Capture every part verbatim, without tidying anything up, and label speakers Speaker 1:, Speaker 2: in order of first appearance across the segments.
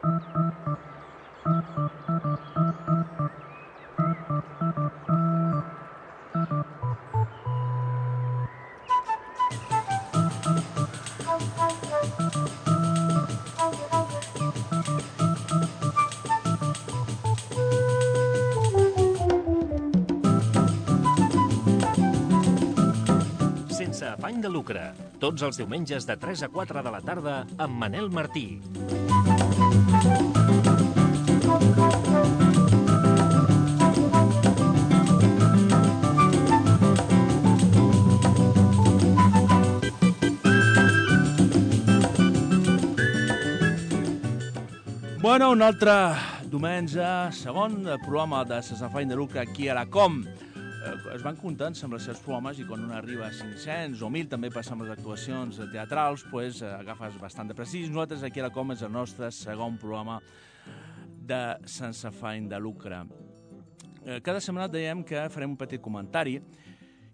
Speaker 1: Sense afany de lucre, tots els diumenges de tres a quatre de la tarda amb Manel Martí.
Speaker 2: Bueno, un altre diumenge, segon programa de Sense afany de lucre aquí a la Com. Es van comptant amb els seus programes i quan un arriba a cinc-cents o mil, també passa amb les actuacions teatrals, pues, agafes bastant de precís. Nosaltres aquí a la Com és el nostre segon programa de Sense afany de lucre. Cada setmana dèiem que farem un petit comentari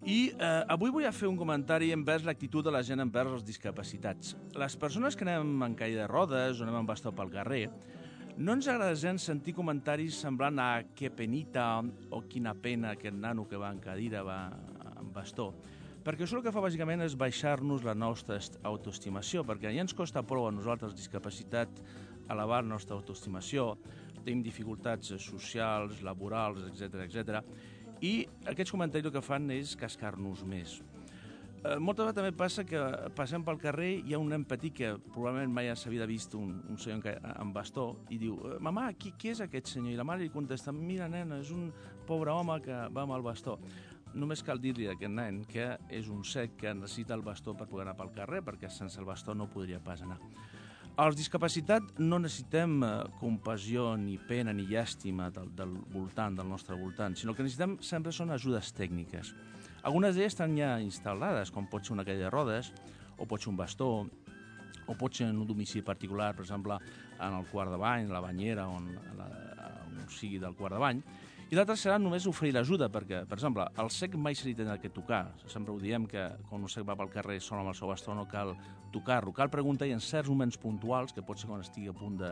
Speaker 2: i eh, avui vull fer un comentari envers l'actitud de la gent envers els discapacitats. Les persones que anem en caïda de rodes o anem en bastó pel carrer, no ens agrada gens sentir comentaris semblant a que penita o quina pena aquest nano que va en cadira va en bastó, perquè això el que fa bàsicament és baixar-nos la nostra autoestimació, perquè ja ens costa prou a nosaltres discapacitat elevar la nostra autoestimació, tenim dificultats socials, laborals, etcètera, etcètera, i aquests comentaris el que fan és cascar-nos més. Eh, moltes vegades també passa que passem pel carrer i hi ha un nen petit que probablement mai s'havia vist un, un senyor amb bastó i diu, mamà, qui, qui és aquest senyor? I la mare li contesta, mira nena, és un pobre home que va amb el bastó. Només cal dir-li a aquest nen que és un cec que necessita el bastó per poder anar pel carrer, perquè sense el bastó no podria pas anar. Els discapacitats no necessitem eh, compassió, ni pena, ni llàstima del, del voltant, del nostre voltant, sinó que necessitem sempre són ajudes tècniques. Algunes d'elles estan ja instal·lades, com pot ser una cadira de rodes, o pot ser un bastó, o pot ser en un domicili particular, per exemple, en el quart de bany, la banyera, on, la, on sigui del quart de bany. I l'altre serà només oferir l'ajuda, perquè, per exemple, el cec mai se li tindrà que tocar. Sempre ho diem que quan un cec va pel carrer sol amb el seu bastó no cal tocar-lo. Cal preguntar i en certs moments puntuals, que pot ser quan estigui a punt de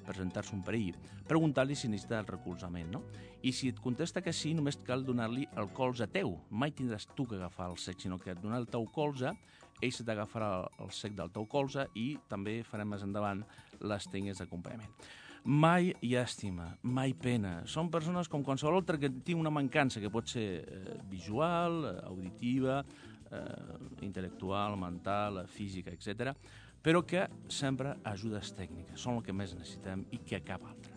Speaker 2: presentar-se un perill, preguntar-li si necessita el recolzament, no? I si et contesta que sí, només cal donar-li el colze teu. Mai tindràs tu que agafar el cec, sinó que et donar el teu colze, ell se t'agafarà el cec del teu colze i també farem més endavant les tècniques d'acompanyament. Mai llàstima, mai pena. Són persones com qualsevol altra que tingui una mancança, que pot ser eh, visual, auditiva, eh, intel·lectual, mental, física, etcètera, però que sempre ajudes tècniques. Són el que més necessitem i que cap altre.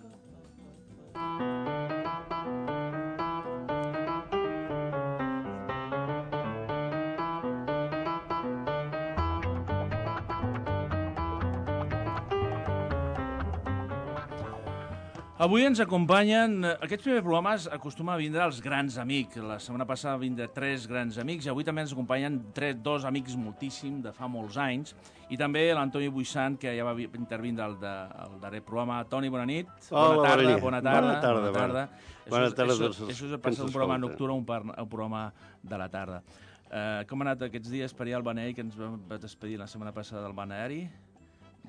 Speaker 2: Avui ens acompanyen, aquests primers programes acostumen a vindre els grans amics. La setmana passada van vindre tres grans amics i avui també ens acompanyen tres, dos amics moltíssim de fa molts anys i també l'Antoni Buissant, que ja va intervindre al, de, al darrer programa. Toni, bona nit.
Speaker 3: Hola,
Speaker 2: bona tarda, bona tarda.
Speaker 3: Bona tarda.
Speaker 2: Bona tarda.
Speaker 3: Bona tarda.
Speaker 2: Això, això, això és passar un programa nocturn a un, par, un programa de la tarda. Uh, com ha anat aquests dies per allà al Balneari, que ens vam despedir la setmana passada del Balneari?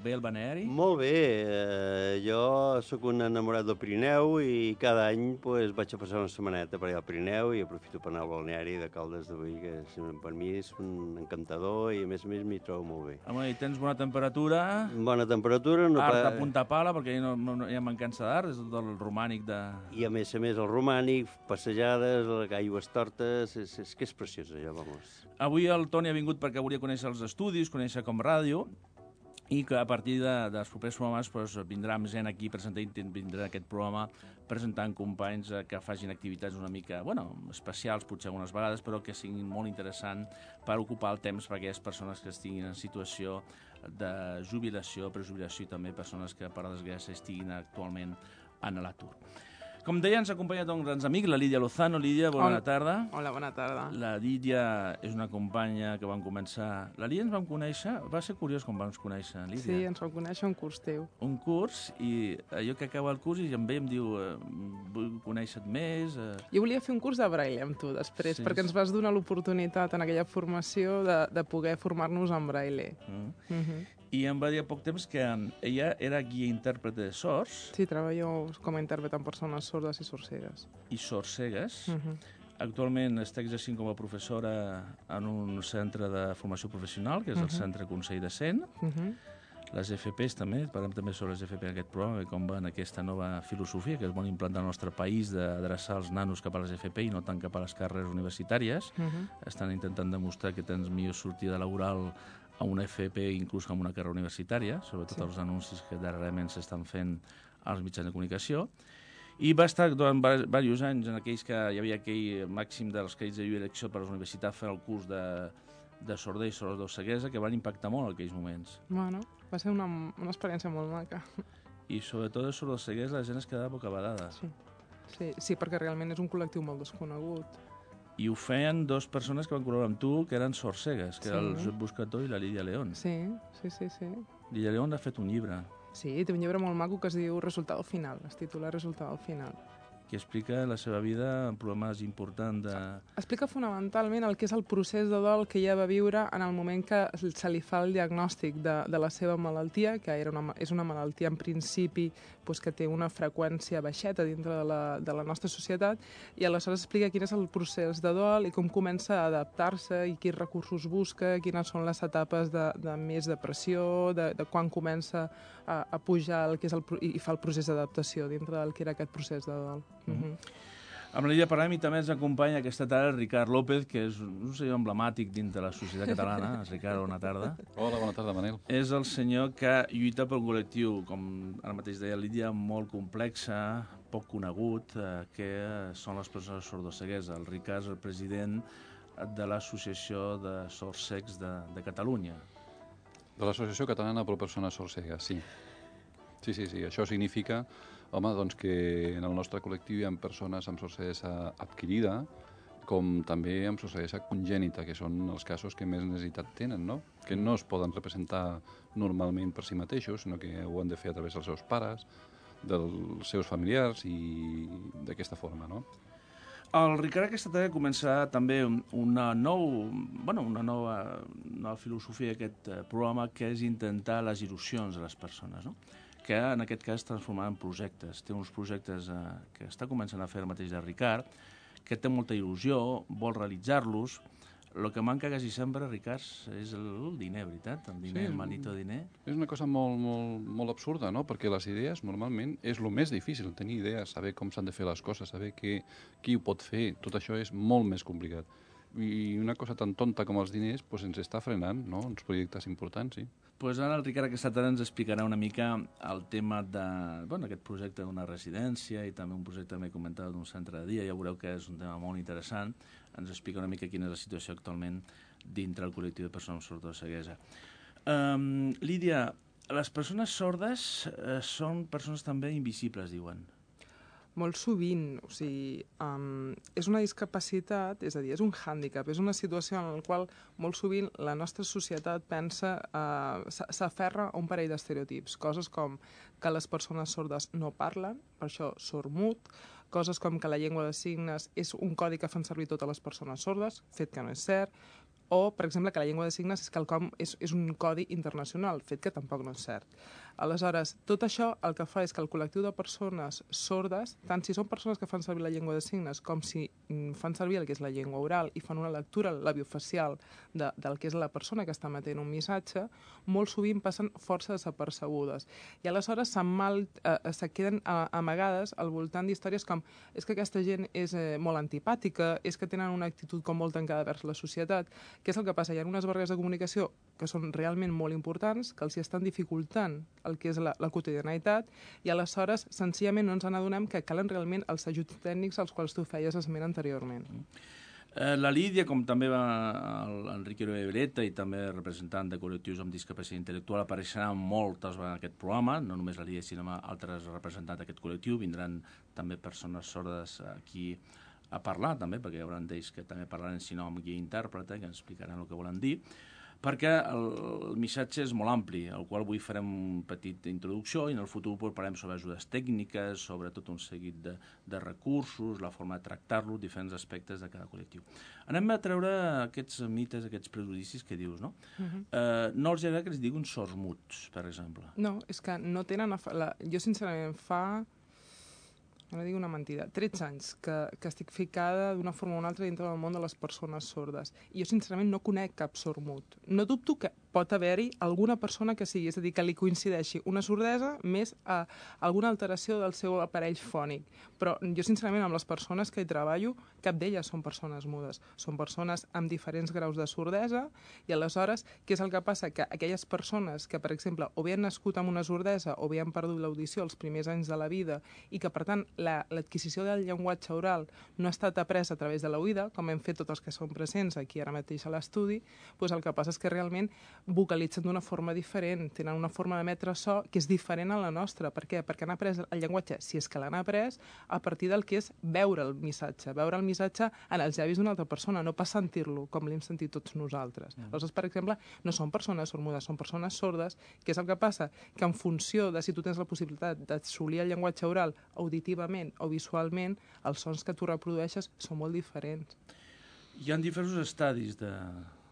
Speaker 2: Bé el Balneari?
Speaker 3: Molt bé. Eh, jo sóc un enamorat del Pirineu i cada any pues, vaig a passar una setmaneta per allà al Pirineu i aprofito per anar al Balneari de Caldes de Boí, que per mi és un encantador i a més a més m'hi trobo molt bé.
Speaker 2: Home, i tens bona temperatura?
Speaker 3: Bona temperatura. No
Speaker 2: Art
Speaker 3: pa...
Speaker 2: a punta pala, perquè no, no, no hi ha mancança d'art, és tot el romànic de...
Speaker 3: I a més a més el romànic, passejades, aigües tortes, és, és que és preciós allò, vamos.
Speaker 2: Avui el Toni ha vingut perquè volia conèixer els estudis, conèixer com ràdio, i que a partir de, dels propers programes pues, vindrà amb gent aquí presentant, vindrà aquest programa presentant companys eh, que facin activitats una mica, bueno, especials potser algunes vegades, però que siguin molt interessants per ocupar el temps per aquelles persones que estiguin en situació de jubilació, prejubilació i també persones que per desgràcia estiguin actualment en l'atur. Com deia, ens acompanya un grans amic, la Lídia Lozano. Lídia, bona
Speaker 4: Hola.
Speaker 2: tarda.
Speaker 4: Hola, bona tarda.
Speaker 2: La Lídia és una companya que vam començar... La Lídia ens vam conèixer... Va ser curiós com vam conèixer, Lídia.
Speaker 4: Sí, ens vam conèixer un curs teu.
Speaker 2: Un curs, i allò que acaba el curs i em ve i em diu eh, vull conèixer-te més... Eh...
Speaker 4: Jo volia fer un curs de braille amb tu després,
Speaker 2: Sí.
Speaker 4: perquè ens vas donar l'oportunitat en aquella formació de, de poder formar-nos en braille.
Speaker 2: Mm.
Speaker 4: Uh -huh.
Speaker 2: I em va dir a poc temps que ella era guia intèrprete de sords.
Speaker 4: Sí, treballo com a intèrpret amb persones sordes i sorcegues.
Speaker 2: I sordcegues.
Speaker 4: Uh -huh.
Speaker 2: Actualment està exercint com a professora en un centre de formació professional, que és el uh -huh. Centre Consell de Cent.
Speaker 4: Uh -huh.
Speaker 2: Les F Pes també, parlem també sobre les F P en aquest programa, i com va en aquesta nova filosofia que es vol implantar al nostre país d'adreçar els nanos cap a les F P i no tant cap a les carreres universitàries.
Speaker 4: Uh -huh.
Speaker 2: Estan intentant demostrar que tens millor sortida laboral a una F P inclús que a una carrera universitària, sobretot sí. els anuncis que darrerament s'estan fent als mitjans de comunicació. I va estar durant diversos anys en aquells que hi havia aquell màxim dels crèdits de lliure elecció per a les universitats fent el curs de, de sorder i sordoceguesa que van impactar molt en aquells moments.
Speaker 4: Bueno, va ser una, una experiència molt maca.
Speaker 2: I sobretot de sordoceguesa la gent es quedava bocabadada.
Speaker 4: Sí. Sí, sí, perquè realment és un col·lectiu molt desconegut.
Speaker 2: I ho feien dues persones que van col·laborar amb tu, que eren sordcegues, que sí. era el Josep Buscató i la Lídia León.
Speaker 4: Sí, sí, sí, sí.
Speaker 2: Lídia León ha fet un llibre.
Speaker 4: Sí, té un llibre molt maco que es diu Resultado Final, es titula Resultado Final.
Speaker 2: Que explica la seva vida en problemes importants de...
Speaker 4: Explica fonamentalment el que és el procés de dol que ella va viure en el moment que se li fa el diagnòstic de, de la seva malaltia, que era una, és una malaltia en principi doncs, que té una freqüència baixeta dintre de la, de la nostra societat, i aleshores explica quin és el procés de dol i com comença a adaptar-se i quins recursos busca, quines són les etapes de, de més depressió, de, de quan comença a, a pujar el que és el, i fa el procés d'adaptació dintre del que era aquest procés de dol.
Speaker 2: Mm -hmm. Amb la Lídia parlem i també ens acompanya aquesta tarda el Ricard López, que és un senyor emblemàtic dins de la societat catalana. Ricard, bona tarda.
Speaker 5: Hola, bona tarda, Manel.
Speaker 2: És el senyor que lluita pel col·lectiu, com ara mateix deia Lídia, molt complexa, poc conegut, eh, que són les persones sordocegues. El Ricard és el president de l'Associació de Sordcecs de, de Catalunya.
Speaker 5: De l'Associació Catalana per Persones Sordcegues, sí. Sí, sí, sí. Això significa, home, doncs que en el nostre col·lectiu hi ha persones amb sordesa adquirida, com també amb sordesa congènita, que són els casos que més necessitat tenen, no? Que no es poden representar normalment per si mateixos, sinó que ho han de fer a través dels seus pares, dels seus familiars i d'aquesta forma, no?
Speaker 2: El Ricard aquesta tarda començarà també una, nou, bueno, una nova, nova filosofia d'aquest programa, que és intentar les il·lusions de les persones, no? Que en aquest cas es transformarà en projectes. Té uns projectes eh, que està començant a fer el mateix de Ricard, que té molta il·lusió, vol realitzar-los. El que manca quasi sempre, Ricard, és el diner, veritat? El diner, sí, el manito diner.
Speaker 5: És una cosa molt, molt, molt absurda, no? Perquè les idees, normalment, és el més difícil, tenir idees, saber com s'han de fer les coses, saber que, qui ho pot fer, tot això és molt més complicat. I una cosa tan tonta com els diners pues, ens està frenant, no?, uns projectes importants, sí.
Speaker 2: Pues ara el Ricard aquesta tarda ens explicarà una mica el tema de, bueno, aquest projecte d'una residència i també un projecte que m'he comentat d'un centre de dia. Ja veureu que és un tema molt interessant. Ens explica una mica quina és la situació actualment dintre el col·lectiu de persones sordoceguesa. Um, Lídia, les persones sordes uh, són persones també invisibles, diuen.
Speaker 4: Molt sovint, o sigui, um, és una discapacitat, és a dir, és un hàndicap, és una situació en la qual molt sovint la nostra societat pensa, uh, s'aferra a un parell d'estereotips, coses com que les persones sordes no parlen, per això sord-mut, coses com que la llengua de signes és un codi que fan servir totes les persones sordes, fet que no és cert, o, per exemple, que la llengua de signes és quelcom, és, és un codi internacional, fet que tampoc no és cert. Aleshores, tot això el que fa és que el col·lectiu de persones sordes, tant si són persones que fan servir la llengua de signes com si mm, fan servir el que és la llengua oral i fan una lectura labiofacial de, del que és la persona que està emetent un missatge, molt sovint passen força desapercebudes. I aleshores se, mal, eh, se queden eh, amagades al voltant d'històries com és que aquesta gent és eh, molt antipàtica, és que tenen una actitud com molt tancada vers la societat. Què és el que passa? Hi ha unes barreres de comunicació que són realment molt importants, que els hi estan dificultant el que és la, la quotidianitat, i aleshores senzillament no ens n'adonem que calen realment els ajuts tècnics als quals tu feies esment anteriorment.
Speaker 2: Eh, la Lídia, com també va l'Enrique Breta i també representant de col·lectius amb discapacitat intel·lectual, apareixerà moltes vegades en aquest programa, no només la Lídia, sinó altres representants d'aquest col·lectiu, vindran també persones sordes aquí a parlar també, perquè hi haurà d'ells que també parlaran, si no amb guia intèrprete, que ens explicaran el que volen dir. perquè el missatge és molt ampli, al qual avui farem una petita introducció i en el futur parlarem sobre ajudes tècniques, sobre tot un seguit de, de recursos, la forma de tractar-lo, diferents aspectes de cada col·lectiu. Anem a treure aquests mites, aquests prejudicis que dius, no? Uh-huh. eh, no els agrada que els diguin sords muts, per exemple.
Speaker 4: No, és que no tenen... La... Jo, sincerament, fa... no dic una mentida, tretze anys que, que estic ficada d'una forma o una altra dintre del món de les persones sordes. I jo, sincerament, no conec cap sord mut. No dubto que pot haver-hi alguna persona que sigui, és a dir, que li coincideixi una sordesa més a alguna alteració del seu aparell fònic. Però jo, sincerament, amb les persones que hi treballo, cap d'elles són persones mudes. Són persones amb diferents graus de sordesa i, aleshores, què és el que passa? Que aquelles persones que, per exemple, o bé han nascut amb una sordesa o bé han perdut l'audició els primers anys de la vida i que, per tant, l'adquisició del llenguatge oral no ha estat apresa a través de l'oïda, com hem fet tots els que són presents aquí ara mateix a l'estudi, doncs el que passa és que realment vocalitzen d'una forma diferent, tenen una forma d'emetre so que és diferent a la nostra. Per què? Perquè han après el llenguatge, si és que l'han après, a partir del que és veure el missatge, veure el missatge en els llavis d'una altra persona, no pas sentir-lo, com l'hem sentit tots nosaltres. Mm. Aleshores, per exemple, no són persones sormudes, són persones sordes, que és el que passa? Que en funció de si tu tens la possibilitat d'assolir el llenguatge oral auditivament o visualment, els sons que tu reprodueixes són molt diferents.
Speaker 2: Hi ha diversos estadis de,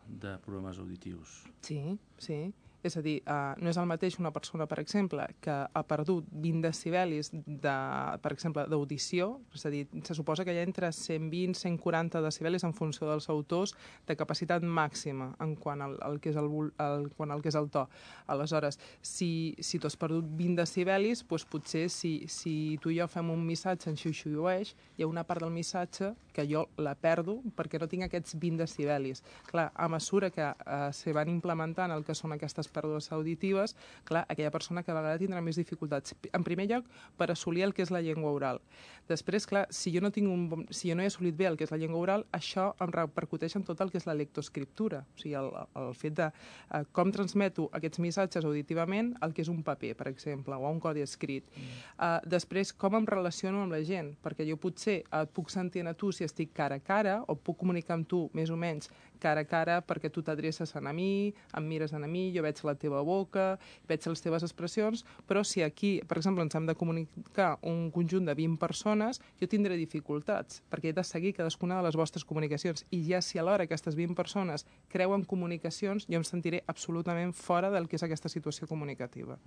Speaker 2: de problemes auditius.
Speaker 4: Sí, sí. És a dir, uh, no és el mateix una persona, per exemple, que ha perdut vint decibelis, de, per exemple, d'audició, és a dir, se suposa que hi ha entre cent vint i cent quaranta decibelis en funció dels autors de capacitat màxima en quant al, al, que, és el, el, quant al que és el to. Aleshores, si, si tu has perdut vint decibelis, doncs potser si, si tu i jo fem un missatge en xiu-xiueix, hi ha una part del missatge que jo la perdo perquè no tinc aquests vint decibelis. Clar, a mesura que uh, se van implementant el que són aquestes pèrdues auditives, clar, aquella persona cada vegada tindrà més dificultats. En primer lloc, per assolir el que és la llengua oral. Després, clar, si jo no tinc un bon, si jo no he assolit bé el que és la llengua oral, això em repercuteix en tot el que és la lectoescriptura. O sigui, el, el fet de uh, com transmeto aquests missatges auditivament al que és un paper, per exemple, o un codi escrit. Mm. Uh, després, com em relaciono amb la gent, perquè jo potser et puc sentir a tu si estic cara a cara, o puc comunicar amb tu més o menys cara a cara perquè tu t'adreces a mi, em mires a mi, jo veig la teva boca, veig les teves expressions, però si aquí, per exemple, ens hem de comunicar un conjunt de vint persones, jo tindré dificultats, perquè he de seguir cadascuna de les vostres comunicacions. I ja si alhora aquestes vint persones creuen comunicacions, jo em sentiré absolutament fora del que és aquesta situació comunicativa.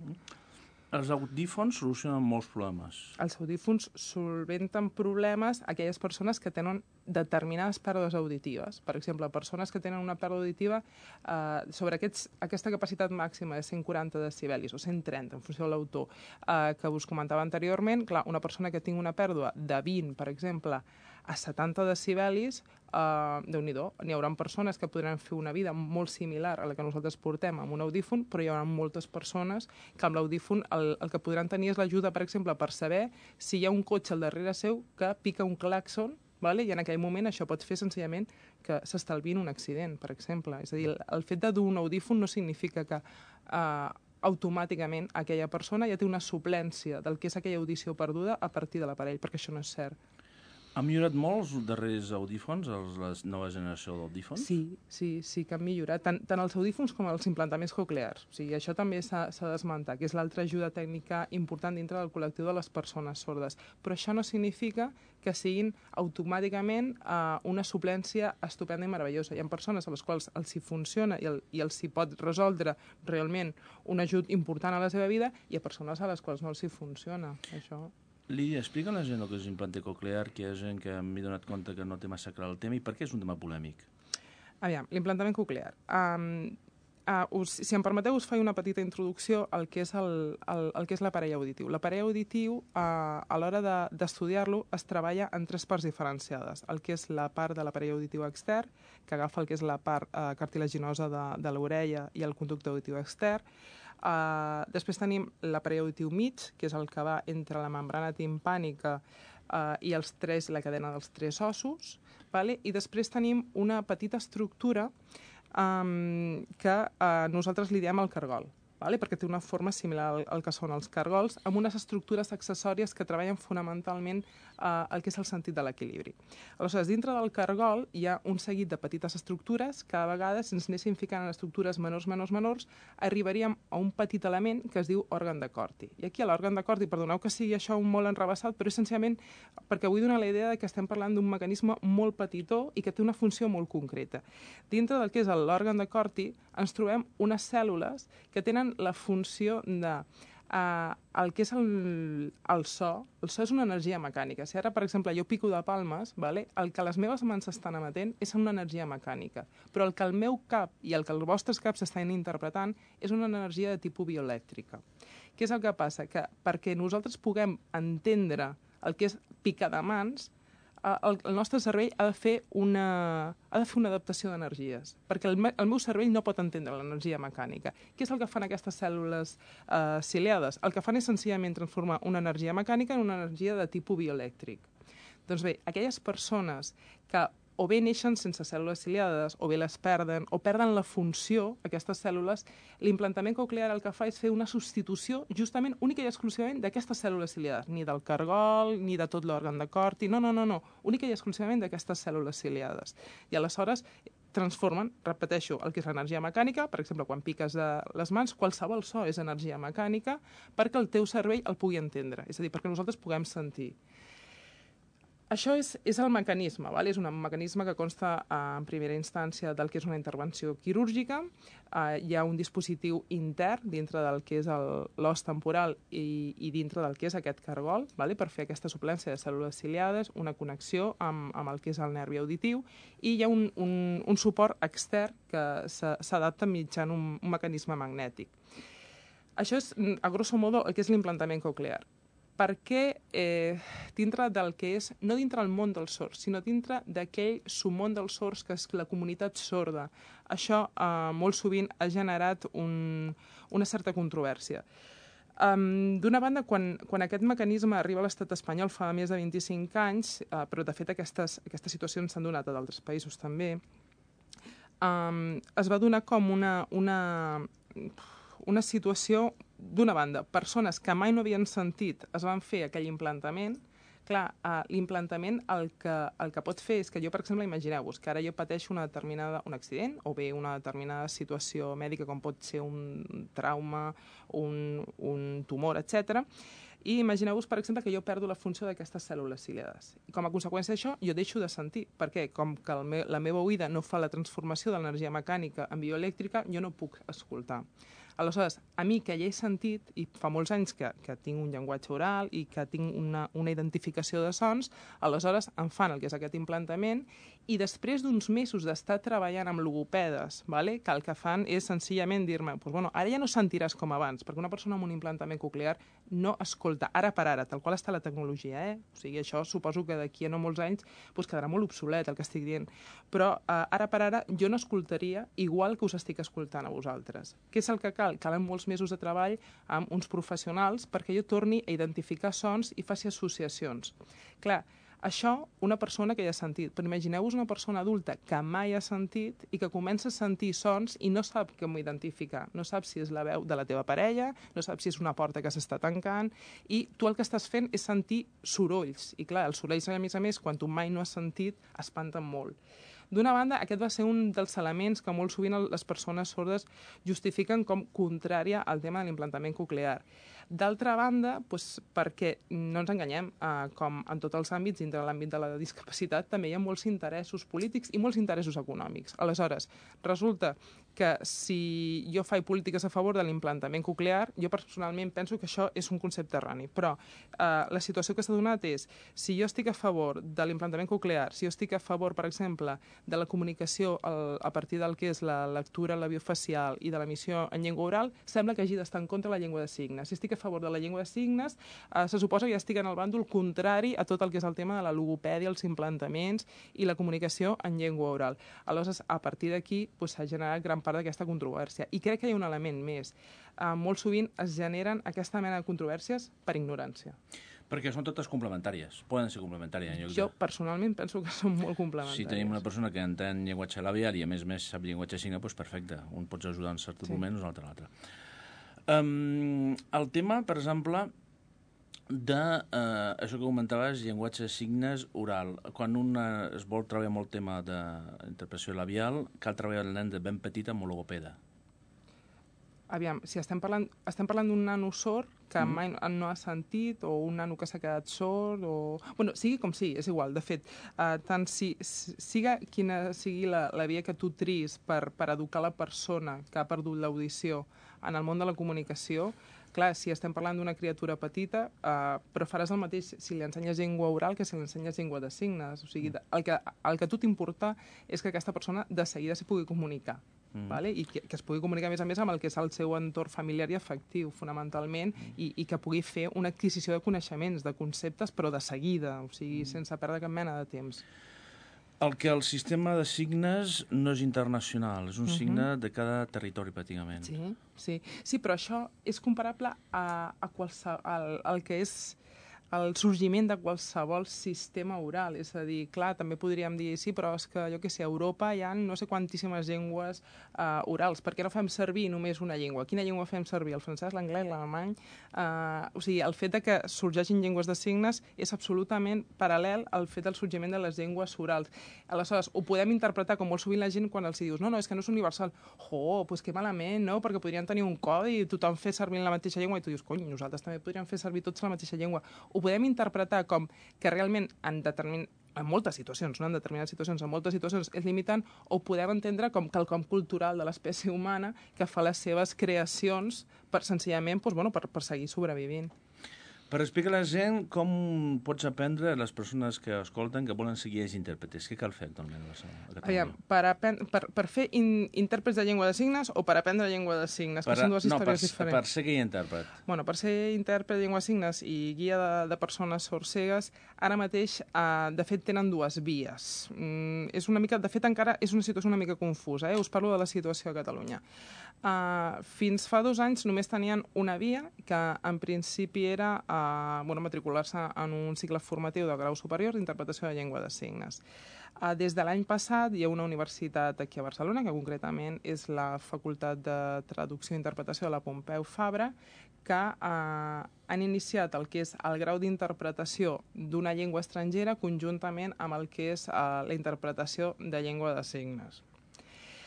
Speaker 2: Els audífons solucionen molts problemes.
Speaker 4: Els audífons solventen problemes a aquelles persones que tenen determinades pèrdues auditives. Per exemple, persones que tenen una pèrdua auditiva eh, sobre aquests, aquesta capacitat màxima de cent quaranta decibelis o cent trenta, en funció de l'autor, eh, que us comentava anteriorment. Clar, una persona que tingui una pèrdua de vint, per exemple, a setanta decibelis, uh, déu-n'hi-do, n'hi haurà persones que podran fer una vida molt similar a la que nosaltres portem amb un audífon, però hi haurà moltes persones que amb l'audífon el, el que podran tenir és l'ajuda, per exemple, per saber si hi ha un cotxe al darrere seu que pica un clàxon, vale? I en aquell moment això pot fer senzillament que s'estalviïn un accident, per exemple. És a dir, el fet de dur un audífon no significa que uh, automàticament aquella persona ja té una suplència del que és aquella audició perduda a partir de l'aparell, perquè això no és cert.
Speaker 2: Ha millorat molt els darrers audífons, els, la nova generació d'audífons?
Speaker 4: Sí, sí, sí que han millorat, tant, tant els audífons com els implantaments coclears. O sigui, això també s'ha d'esmentar, que és l'altra ajuda tècnica important dintre del col·lectiu de les persones sordes. Però això no significa que siguin automàticament eh, una suplència estupenda i meravellosa. Hi ha persones a les quals els hi funciona i, el, i els hi pot resoldre realment un ajut important a la seva vida, i hi ha persones a les quals no els hi funciona, això.
Speaker 2: Lídia, explica a la gent el que és implanté coclear, que hi ha gent que m'he donat compte que no té massa clar el tema, i per què és un tema polèmic?
Speaker 4: Aviam, l'implantament coclear. Um, uh, us, si em permeteu, us faig una petita introducció al que és el, el, el que és l'aparell auditiu. L'aparell auditiu, uh, a l'hora d'estudiar-lo, es treballa en tres parts diferenciades. El que és la part de l'aparell auditiu extern, que agafa el que és la part uh, cartilaginosa de, de l'orella i el conducte auditiu extern. Uh, després tenim l'aparell auditiu mig, que és el que va entre la membrana timpànica uh, i els tres, la cadena dels tres ossos, vale? I després tenim una petita estructura um, que uh, nosaltres li diem el cargol. vale? Perquè té una forma similar al, al que són els cargols, amb unes estructures accessòries que treballen fonamentalment eh, el que és el sentit de l'equilibri. Aleshores, dintre del cargol hi ha un seguit de petites estructures que a vegades, si ens anéssim ficant en estructures menors, menors, menors, arribaríem a un petit element que es diu òrgan de Corti. I aquí a l'òrgan de Corti, perdoneu que sigui això un molt enrebaçat, però essencialment perquè vull donar la idea de que estem parlant d'un mecanisme molt petitó i que té una funció molt concreta. Dintre del que és l'òrgan de Corti ens trobem unes cèl·lules que tenen la funció de uh, el que és el, el so. El so és una energia mecànica. Si ara, per exemple, jo pico de palmes, vale? El que les meves mans estan emetent és una energia mecànica, però el que el meu cap i el que els vostres caps estan interpretant és una energia de tipus bioelèctrica. Què és el que passa? Que perquè nosaltres puguem entendre el que és picar de mans, el, el nostre cervell ha de fer una, ha de fer una adaptació d'energies, perquè el, me, el meu cervell no pot entendre l'energia mecànica. Què és el que fan aquestes cèl·lules eh, ciliades? El que fan és senzillament transformar una energia mecànica en una energia de tipus bioelèctric. Doncs bé, aquelles persones que o bé neixen sense cèl·lules ciliades, o bé les perden, o perden la funció, aquestes cèl·lules, l'implantament coclear el que fa és fer una substitució justament única i exclusivament d'aquestes cèl·lules ciliades, ni del cargol, ni de tot l'òrgan de Corti, no, no, no, no, única i exclusivament d'aquestes cèl·lules ciliades. I aleshores transformen, repeteixo, el que és l'energia mecànica, per exemple, quan piques de les mans, qualsevol so és energia mecànica perquè el teu cervell el pugui entendre, és a dir, perquè nosaltres puguem sentir. Això és, és el mecanisme, val? És un mecanisme que consta eh, en primera instància del que és una intervenció quirúrgica. Eh, hi ha un dispositiu intern dintre del que és l'os temporal i, i dintre del que és aquest cargol, val? Per fer aquesta suplència de cèl·lules ciliades, una connexió amb, amb el que és el nervi auditiu, i hi ha un, un, un suport extern que s'adapta mitjançant un, un mecanisme magnètic. Això és, a grosso modo, el que és l'implantament coclear. Perquè eh, dintre del que és, no dintre del món dels sords, sinó dintre d'aquell submón dels sords que és la comunitat sorda. Això eh, molt sovint ha generat un, una certa controvèrsia. Um, D'una banda, quan, quan aquest mecanisme arriba a l'estat espanyol fa més de vint-i-cinc anys, eh, però de fet aquestes, aquestes situacions s'han donat a d'altres països també, um, es va donar com una, una, una situació. D'una banda, persones que mai no havien sentit es van fer aquell implantament. Clar, uh, l'implantament el que, el que pot fer és que jo, per exemple, imagineu-vos que ara jo pateixo una determinada, un accident o bé una determinada situació mèdica com pot ser un trauma, un, un tumor, etcètera. I imagineu-vos, per exemple, que jo perdo la funció d'aquestes cèl·lules ciliades. I com a conseqüència d'això, jo deixo de sentir. Per què? Com que el me la meva oïda no fa la transformació de l'energia mecànica en bioelèctrica, jo no puc escoltar. Aleshores, a mi que ja he sentit, i fa molts anys que, que tinc un llenguatge oral i que tinc una, una identificació de sons, aleshores em fan el que és aquest implantament i després d'uns mesos d'estar treballant amb logopedes, vale? Que el que fan és senzillament dir-me pues, bueno, ara ja no sentiràs com abans, perquè una persona amb un implantament coclear no escolta ara per ara, tal qual està la tecnologia, eh? O sigui, això suposo que d'aquí a no molts anys pues, quedarà molt obsolet el que estic dient, però eh, ara per ara jo no escoltaria igual que us estic escoltant a vosaltres. Què és el que cal? Calen molts mesos de treball amb uns professionals perquè jo torni a identificar sons i faci associacions. Clar, això una persona que ja ha sentit, però imagineu-vos una persona adulta que mai ha sentit i que comença a sentir sons i no sap com identificar, no sap si és la veu de la teva parella, no sap si és una porta que s'està tancant, i tu el que estàs fent és sentir sorolls, i clar, els sorolls a més a més, quan tu mai no has sentit, espanten molt. D'una banda, aquest va ser un dels elements que molt sovint les persones sordes justifiquen com contrària al tema de l'implantament coclear. D'altra banda, doncs, perquè no ens enganyem, eh, com en tots els àmbits, dintre de l'àmbit de la discapacitat, també hi ha molts interessos polítics i molts interessos econòmics. Aleshores, resulta que si jo faig polítiques a favor de l'implantament coclear, jo personalment penso que això és un concepte erroni. Però eh, la situació que s'ha donat és, si jo estic a favor de l'implantament coclear, si jo estic a favor, per exemple, de la comunicació el, a partir del que és la lectura labiofacial i de l'emissió en llengua oral, sembla que hagi d'estar en contra de la llengua de signes. Si estic a favor de la llengua de signes, eh, se suposa que ja estic en el bàndol contrari a tot el que és el tema de la logopèdia, els implantaments i la comunicació en llengua oral. Aleshores, a partir d'aquí doncs, s'ha generat gran part d'aquesta controvèrsia. I crec que hi ha un element més. Eh, molt sovint es generen aquesta mena de controvèrsies per ignorància.
Speaker 2: Perquè són totes complementàries, poden ser complementàries. En lloc
Speaker 4: Jo
Speaker 2: de...
Speaker 4: personalment penso que són molt complementàries.
Speaker 2: Si tenim una persona que entén llenguatge labial i a més més sap llenguatge signe, doncs perfecte. Un pots ajudar en certs sí. moments, un altre en l'altre. Um, el tema, per exemple, de uh, això que comentaves, llenguatge de signes oral. Quan un uh, es vol treballar molt el tema d'interpretació labial, cal treballar el nen de ben petit amb un logopeda.
Speaker 4: Aviam, si estem parlant, estem parlant d'un nano sord que
Speaker 2: Mm.
Speaker 4: mai no ha sentit, o un nano que s'ha quedat sord, o... Bueno, sigui com sigui, és igual. De fet, uh, tant si, si siga quina sigui la, la via que tu tris per, per educar la persona que ha perdut l'audició en el món de la comunicació, clar, si estem parlant d'una criatura petita, uh, però faràs el mateix si li ensenyes llengua oral que si li ensenyes llengua de signes. O sigui, el que, el que a tu t'importa és que aquesta persona de seguida s'hi pugui comunicar. Mm. Vale? I que, que es pugui comunicar, a més a més, amb el que és el seu entorn familiar i afectiu, fonamentalment, mm. i, i que pugui fer una adquisició de coneixements, de conceptes, però de seguida, o sigui, mm. sense perdre cap mena de temps.
Speaker 2: El que el sistema de signes no és internacional, és un uh-huh. signe de cada territori, pràcticament.
Speaker 4: Sí, sí. Sí, però això és comparable a, a qualsevol, al, al que és el sorgiment de qualsevol sistema oral. És a dir, clar, també podríem dir, sí, però és que, jo què sé, a Europa hi ha no sé quantíssimes llengües uh, orals. Per què no fem servir només una llengua? Quina llengua fem servir? El francès, l'anglès, l'alemany? Uh, o sigui, el fet de que sorgeixin llengües de signes és absolutament paral·lel al fet del sorgiment de les llengües orals. Aleshores, ho podem interpretar com molt sovint la gent quan els dius no, no, és que no és universal. Oh, doncs que malament, no? Perquè podrien tenir un codi i tothom fer servir la mateixa llengua i tu dius, cony, nosaltres també podríem fer servir tots la mateixa llengua. Ho podem interpretar com que realment en, determin... en moltes situacions, no en determinades situacions, en moltes situacions és limitant, o ho podem entendre com quelcom cultural de l'espècie humana que fa les seves creacions per, senzillament, doncs, bueno, per, per seguir sobrevivint.
Speaker 2: Per explicar a la gent com pots aprendre a les persones que escolten que volen seguir els intèrpretes. Què cal fer actualment a Catalunya?
Speaker 4: Aviam, per, per, per fer in, intèrprets de llengua de signes o per aprendre llengua de signes?
Speaker 2: Per,
Speaker 4: que són dues
Speaker 2: no,
Speaker 4: històries
Speaker 2: per,
Speaker 4: diferents.
Speaker 2: per ser guia intèrpret.
Speaker 4: Bueno, per ser intèrpret de llengua de signes i guia de, de persones sordcegues, ara mateix, eh, de fet, tenen dues vies. Mm, és una mica, de fet, encara és una situació una mica confusa. Eh? Us parlo de la situació a Catalunya. Uh, fins fa dos anys només tenien una via, que en principi era uh, bueno, matricular-se en un cicle formatiu de grau superior d'interpretació de llengua de signes. Uh, des de l'any passat hi ha una universitat aquí a Barcelona, que concretament és la Facultat de Traducció i Interpretació de la Pompeu Fabra, que uh, han iniciat el que és el grau d'interpretació d'una llengua estrangera conjuntament amb el que és uh, la interpretació de llengua de signes.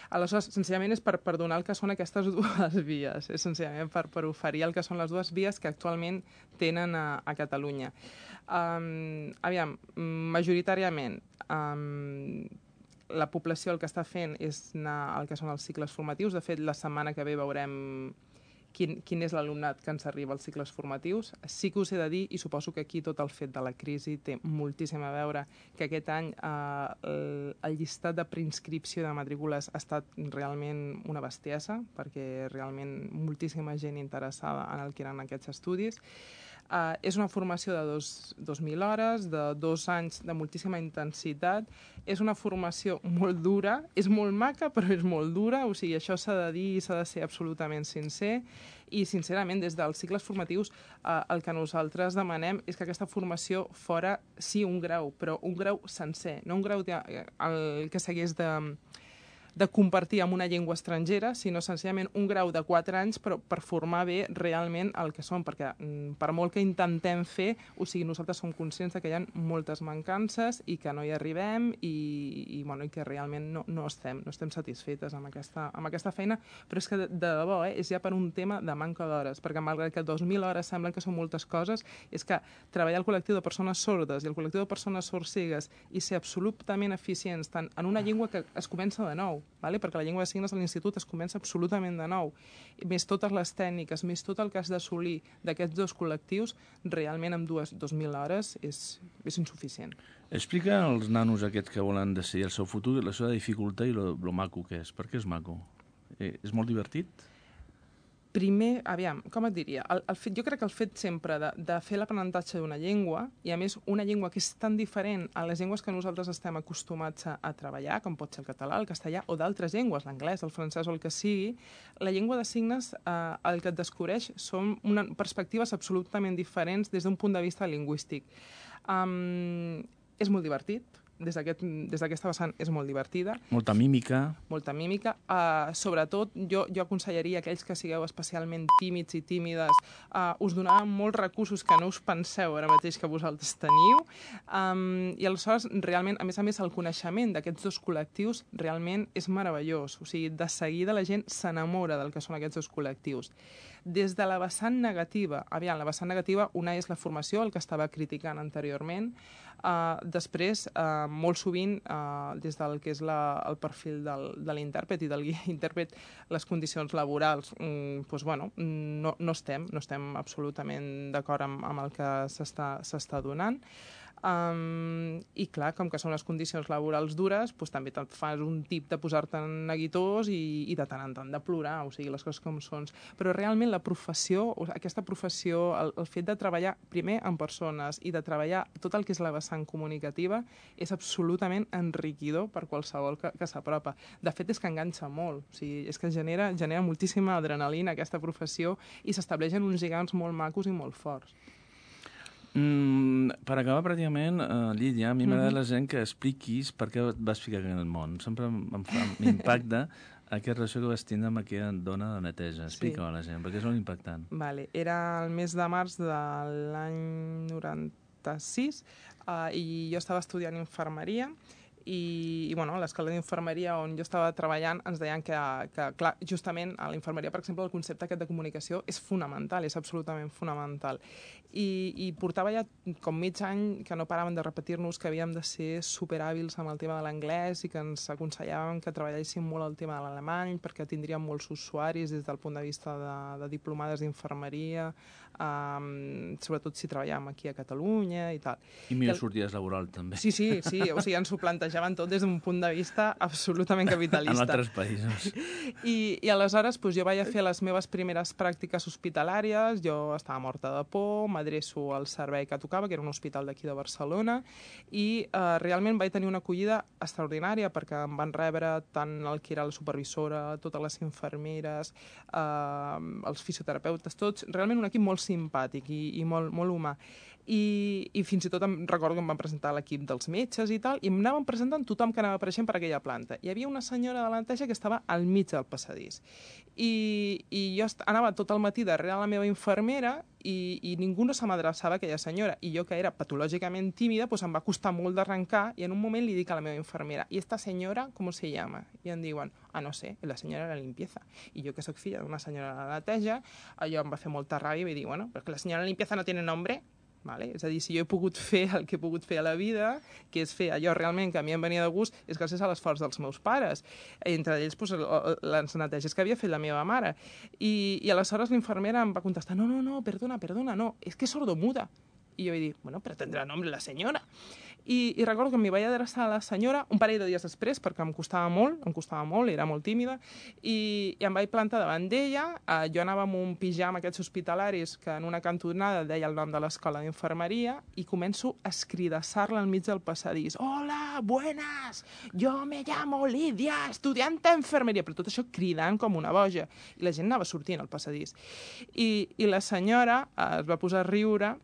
Speaker 4: Aleshores, senzillament és per, per donar el que són aquestes dues vies, és senzillament per, per oferir el que són les dues vies que actualment tenen a, a Catalunya. Um, aviam, majoritàriament, um, la població el que està fent és anar al que són els cicles formatius. De fet, la setmana que ve veurem quin, quin és l'alumnat que ens arriba als cicles formatius. Sí que us he de dir, i suposo que aquí tot el fet de la crisi té moltíssim a veure, que aquest any eh, el, el llistat de preinscripció de matrícules ha estat realment una bestiesa, perquè realment moltíssima gent interessada en el que eren aquests estudis. Uh, és una formació de dos, dos mil hores, de dos anys de moltíssima intensitat. És una formació molt dura, és molt maca, però és molt dura, o sigui, això s'ha de dir i s'ha de ser absolutament sincer. I, sincerament, des dels cicles formatius, uh, el que nosaltres demanem és que aquesta formació fora, sí, un grau, però un grau sencer, no un grau de, el que s'hagués de... de compartir amb una llengua estrangera, sinó senzillament un grau de quatre anys però per formar bé realment el que som, perquè per molt que intentem fer, o sigui, nosaltres som conscients de que hi ha moltes mancances i que no hi arribem i, i, bueno, i que realment no, no, estem, no estem satisfetes amb aquesta, amb aquesta feina, però és que de, de debò eh, és ja per un tema de manca d'hores, perquè malgrat que dos mil hores semblen que són moltes coses, és que treballar el col·lectiu de persones sordes i el col·lectiu de persones sordcegues i ser absolutament eficients tant en una llengua que es comença de nou, vale? Perquè la llengua de signes a l'institut es comença absolutament de nou, més totes les tècniques, més tot el que has d'assolir d'aquests dos col·lectius, realment amb dues, dos mil hores és, és insuficient.
Speaker 2: Explica als nanos aquests que volen decidir el seu futur la seva dificultat i lo, lo maco que és. Per què és maco? Eh, és molt divertit?
Speaker 4: Primer, aviam, com et diria? El, el fet, jo crec que el fet sempre de, de fer l'aprenentatge d'una llengua, i a més una llengua que és tan diferent a les llengües que nosaltres estem acostumats a, a treballar, com pot ser el català, el castellà, o d'altres llengües, l'anglès, el francès o el que sigui, la llengua de signes eh, el que et descobreix són una, perspectives absolutament diferents des d'un punt de vista lingüístic. Um, és molt divertit, des d'aquesta vessant és molt divertida.
Speaker 2: Molta mímica.
Speaker 4: Molta mímica. Uh, sobretot, jo, jo aconsellaria a aquells que sigueu especialment tímids i tímides, uh, us donaran molts recursos que no us penseu ara mateix que vosaltres teniu. Um, I aleshores, realment, a més a més, el coneixement d'aquests dos col·lectius realment és meravellós. O sigui, de seguida la gent s'enamora del que són aquests dos col·lectius. Des de la vessant negativa, aviam, la vessant negativa, una és la formació, el que estava criticant anteriorment. Uh, després, uh, molt sovint, uh, des del que és la, el perfil del, de l'intèrpret i del guia intèrpret, les condicions laborals, um, doncs, bueno, no, no estem, no estem absolutament d'acord amb, amb el que s'està donant. Um, I clar, com que són les condicions laborals dures, doncs també te'n fas un tip de posar-te neguitós i, i de tant en tant de plorar, o sigui, les coses com són. Però realment la professió, aquesta professió, el, el fet de treballar primer amb persones i de treballar tot el que és la vessant comunicativa és absolutament enriquidor per qualsevol que, que s'apropa. De fet, és que enganxa molt, o sigui, és que genera, genera moltíssima adrenalina aquesta professió i s'estableixen uns lligams molt macos i molt forts.
Speaker 2: Mm, per acabar, pràcticament, uh, Lídia, a mi m'agrada
Speaker 4: Mhm.
Speaker 2: la gent que expliquis per què et vas ficar en el món. Sempre m'impacta aquesta relació que vas tindre amb aquella dona de neteja. Explica-ho a la gent, perquè és molt impactant.
Speaker 4: Vale. Era el mes de març de l'any noranta-sis uh, i jo estava estudiant infermeria i, i bueno, a l'escola d'infermeria on jo estava treballant ens deien que, que clar, justament a la infermeria, per exemple, el concepte aquest de comunicació és fonamental, és absolutament fonamental. I, i portava ja com mig any que no paraven de repetir-nos que havíem de ser superhàbils amb el tema de l'anglès i que ens aconsellaven que treballéssim molt el tema de l'alemany perquè tindríem molts usuaris des del punt de vista de, de diplomades d'infermeria, um, sobretot si treballàvem aquí a Catalunya i tal.
Speaker 2: I millor
Speaker 4: I el...
Speaker 2: sorties laboral, també.
Speaker 4: Sí, sí, sí, o sigui, ens ho plantejaven tot des d'un punt de vista absolutament capitalista.
Speaker 2: En altres països.
Speaker 4: I, i aleshores doncs, jo vaig a fer les meves primeres pràctiques hospitalàries, jo estava morta de por, m'adreço al servei que tocava, que era un hospital d'aquí de Barcelona, i eh, realment vaig tenir una acollida extraordinària perquè em van rebre tant el que era la supervisora, totes les infermeres, eh, els fisioterapeutes, tots, realment un equip molt simpàtic i, i molt, molt humà. I, i fins i tot em recordo que em van presentar l'equip dels metges i tal, i em anaven presentant tothom que anava apareixent per aquella planta. Hi havia una senyora de la neteja que estava al mig del passadís. I, i jo anava tot el matí darrere la meva infermera i, i ningú no se m'adreçava a aquella senyora. I jo, que era patològicament tímida, pues em va costar molt d'arrencar i en un moment li dic a la meva infermera «I esta senyora com se llama?» I em diuen «Ah, no sé, la senyora de la limpieza». I jo, que sóc filla d'una senyora de la neteja, allò em va fer molta ràbia i vaig dir «Bueno, però que la senyora de la limpieza no tiene nombre». Vale? És a dir, si jo he pogut fer el que he pogut fer a la vida, que és fer allò realment que a mi em venia de gust, és gràcies a l'esforç dels meus pares. Entre ells, pues, les neteges que havia fet la meva mare. I, i aleshores l'infermera em va contestar no, no, no, perdona, perdona, no, és que és sordomuda. I jo vaig dir, bueno, però tindrà nombre la senyora. I, i recordo que m'hi vaig adreçar a la senyora un parell de dies després, perquè em costava molt, em costava molt, era molt tímida, i, i em vaig plantar davant d'ella. Eh, jo anava amb un pijama aquests hospitalaris que en una cantonada deia el nom de l'escola d'infermeria i començo a escridassar-la al mig del passadís. Hola, buenas, yo me llamo Lidia, estudiante de enfermeria, però tot això cridant com una boja. I la gent anava sortint al passadís. I, i la senyora eh, es va posar a riure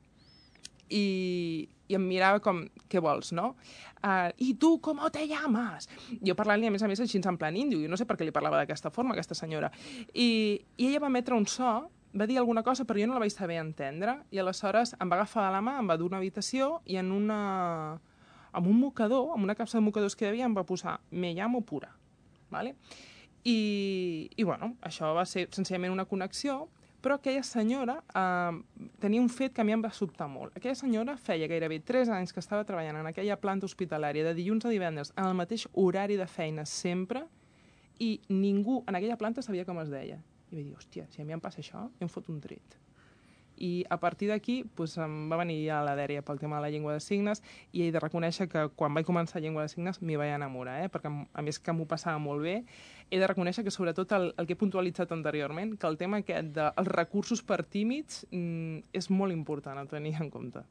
Speaker 4: i, i em mirava com, què vols, no? Uh, I tu, com te llamas? Jo parlant-li, a més a més, així en plan índio, jo no sé per què li parlava d'aquesta forma, aquesta senyora. I, I ella va emetre un so, va dir alguna cosa, però jo no la vaig saber entendre, i aleshores em va agafar de la mà, em va dur una habitació, i en una... amb un mocador, amb una capsa de mocadors que hi havia, em va posar «Me llamo Pura». Vale? I, I, bueno, això va ser senzillament una connexió, però aquella senyora eh, tenia un fet que a mi em va sobtar molt. Aquella senyora feia gairebé tres anys que estava treballant en aquella planta hospitalària de dilluns a divendres en el mateix horari de feina sempre i ningú en aquella planta sabia com es deia. I vaig dir, hòstia, si a mi em passa això, jo em fot un tret. I a partir d'aquí pues, em va venir ja la dèria pel tema de la llengua de signes i he de reconèixer que quan vaig començar llengua de signes m'hi vaig enamorar, eh? Perquè a més que m'ho passava molt bé, he de reconèixer que sobretot el, el que he puntualitzat anteriorment, que el tema aquest dels recursos per tímids mm, és molt important a tenir en compte.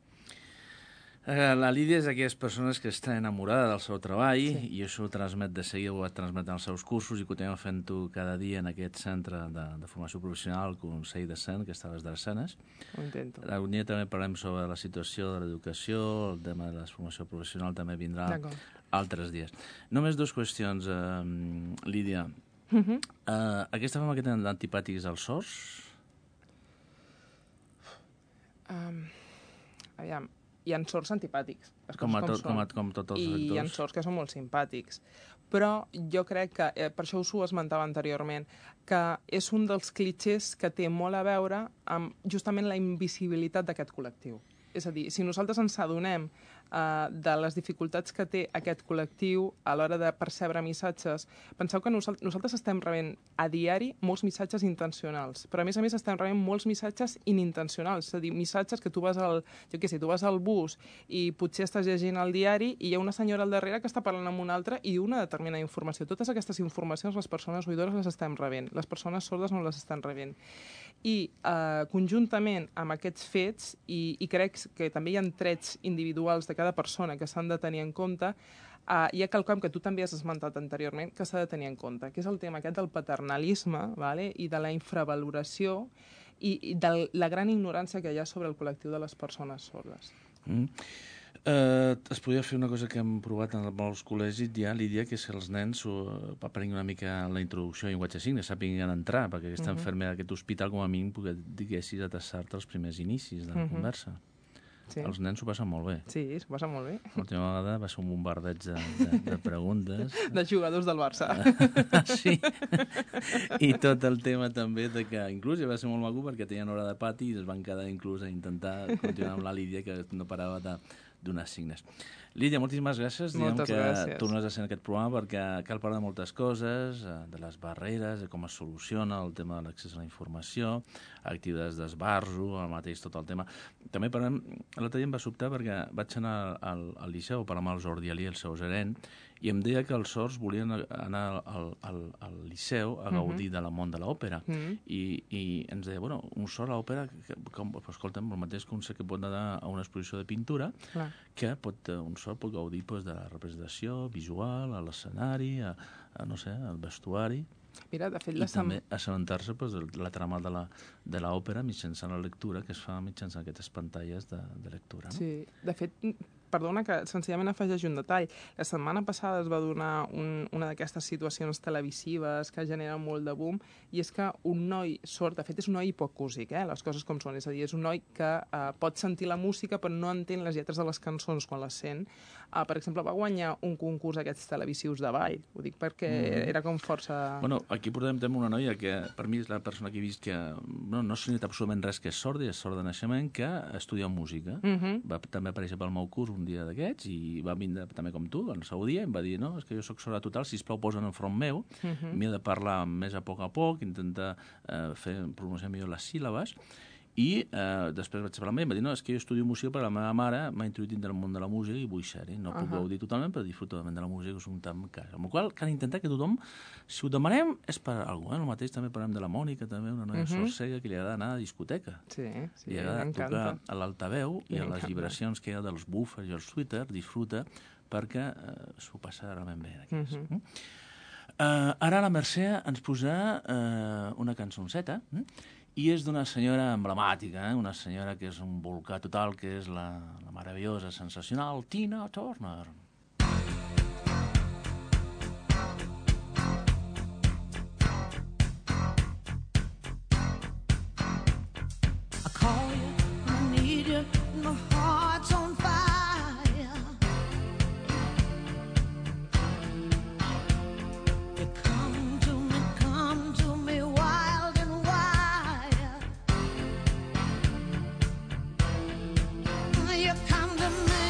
Speaker 2: La Lídia és d'aquelles persones que està enamorada del seu treball sí. i això ho transmet de seguida, ho va transmetre als seus cursos i continuem fent-ho cada dia en aquest centre de, de formació professional, el Consell de Cent, que està a les Drassanes.
Speaker 4: Ho intento.
Speaker 2: Algun dia també parlem sobre la situació de l'educació, el tema de la formació professional també vindrà altres dies. Només dues qüestions, uh, Lídia. Uh -huh. uh, aquesta fama que tenen d'antipàtics als sords?
Speaker 4: Um, aviam, hi ha sords antipàtics.
Speaker 2: Com, a tot, com, a, com tots els
Speaker 4: I
Speaker 2: sectors.
Speaker 4: hi ha sords que són molt simpàtics. Però jo crec que, eh, per això us ho esmentava anteriorment, que és un dels clitxers que té molt a veure amb justament la invisibilitat d'aquest col·lectiu. És a dir, si nosaltres ens adonem uh, de les dificultats que té aquest col·lectiu a l'hora de percebre missatges, penseu que nosal nosaltres estem rebent a diari molts missatges intencionals, però a més a més estem rebent molts missatges inintencionals, és a dir, missatges que tu vas al, jo què sé, tu vas al bus i potser estàs llegint el diari i hi ha una senyora al darrere que està parlant amb una altra i diu una determinada informació. Totes aquestes informacions les persones oïdores les estem rebent, les persones sordes no les estan rebent. I eh, conjuntament amb aquests fets, i, i crec que també hi ha trets individuals de cada persona que s'han de tenir en compte, uh, hi ha quelcom que tu també has esmentat anteriorment que s'ha de tenir en compte, que és el tema aquest del paternalisme, vale? I de la infravaloració i, i de la gran ignorància que hi ha sobre el col·lectiu de les persones sordes.
Speaker 2: Mm. Uh, es podria fer una cosa que hem provat en molts col·legis ja, Lídia, que és que els nens uh, aprenguin una mica la introducció a llenguatge de signes, sàpiguen entrar, perquè aquesta uh -huh. infermera d'aquest hospital, com a mínim, que diguessis a tastar-te els primers inicis de la uh -huh. conversa. Sí. Els nens s'ho passen molt bé.
Speaker 4: Sí, s'ho passen molt bé.
Speaker 2: L'última vegada va ser un bombardeig de, de, de preguntes.
Speaker 4: De jugadors del Barça.
Speaker 2: Sí. I tot el tema també de que inclús ja va ser molt maco perquè tenien hora de pati i es van quedar inclús a intentar continuar amb la Lídia, que no parava de donar signes. Lídia, moltíssimes gràcies.
Speaker 4: Moltes
Speaker 2: Diem que
Speaker 4: gràcies.
Speaker 2: tornes a ser en aquest programa perquè cal parlar de moltes coses, de les barreres, de com es soluciona el tema de l'accés a la informació, activitats d'esbarjo, el mateix tot el tema. També parlem, l'altre dia em va sobtar perquè vaig anar al, al Liceu a parlar amb el Jordi Alí, el seu gerent, i em deia que els sords volien anar al, al, al Liceu a gaudir uh -huh. de la món de l'òpera. Uh -huh. I, I ens deia, bueno, un sord a l'òpera, escolta'm, el mateix que un que pot anar a una exposició de pintura, clar. Que pot, un sord pot gaudir pues, de la representació visual, a l'escenari, a, a, no sé, al vestuari.
Speaker 4: Mira, de fet,
Speaker 2: I també assabentar-se pues, de la trama de l'òpera mitjançant la lectura, que es fa mitjançant aquestes pantalles de, de lectura. No?
Speaker 4: Sí, de fet, perdona que senzillament afegeix un detall. La setmana passada es va donar un, una d'aquestes situacions televisives que generen molt de boom, i és que un noi sord, de fet és un noi hipocúsic, eh, les coses com són, és a dir, és un noi que eh, pot sentir la música però no entén les lletres de les cançons quan les sent. Uh, per exemple, va guanyar un concurs aquests televisius de ball, ho dic perquè mm. era com força...
Speaker 2: Bueno, aquí portem també una noia que per mi és la persona que he vist que no, no s'ha dit absolutament res que és sorda, és sorda de naixement, que estudia música. Mm -hmm. Va també aparèixer pel meu curs un dia d'aquests i va vindre també com tu, el seu dia, i em va dir, no, és que jo soc sorda total, sisplau, posa'n enfront meu, mm -hmm. m'he de parlar més a poc a poc, intentar eh, fer pronunciar millor les síl·labes, i eh, després vaig parlar amb ell i em va dir, no, és que jo estudio música però la meva mare m'ha introduït dins del món de la música i vull ser-hi, no uh -huh. puc gaudir totalment però disfruto totalment de la música, que és un tam cas. Amb la qual cal intentar que tothom, si ho demanem és per alguna cosa, eh? El mateix també parlem de la Mònica, també una noia uh -huh. sorcega que li agrada anar a discoteca.
Speaker 4: Sí, sí,
Speaker 2: li agrada tocar a l'altaveu i a les vibracions que hi ha dels buffers i els tweeters, disfruta perquè eh, s'ho passa realment bé. Uh -huh. mm? uh, ara la Mercè ens posa uh, una cançonceta, mm? i és d'una senyora emblemàtica, eh? Una senyora que és un volcà total, que és la, la meravellosa, sensacional Tina Turner.
Speaker 6: I call you, I need you, my heart's on fire. You come to me, come to me wild and wild. You come to me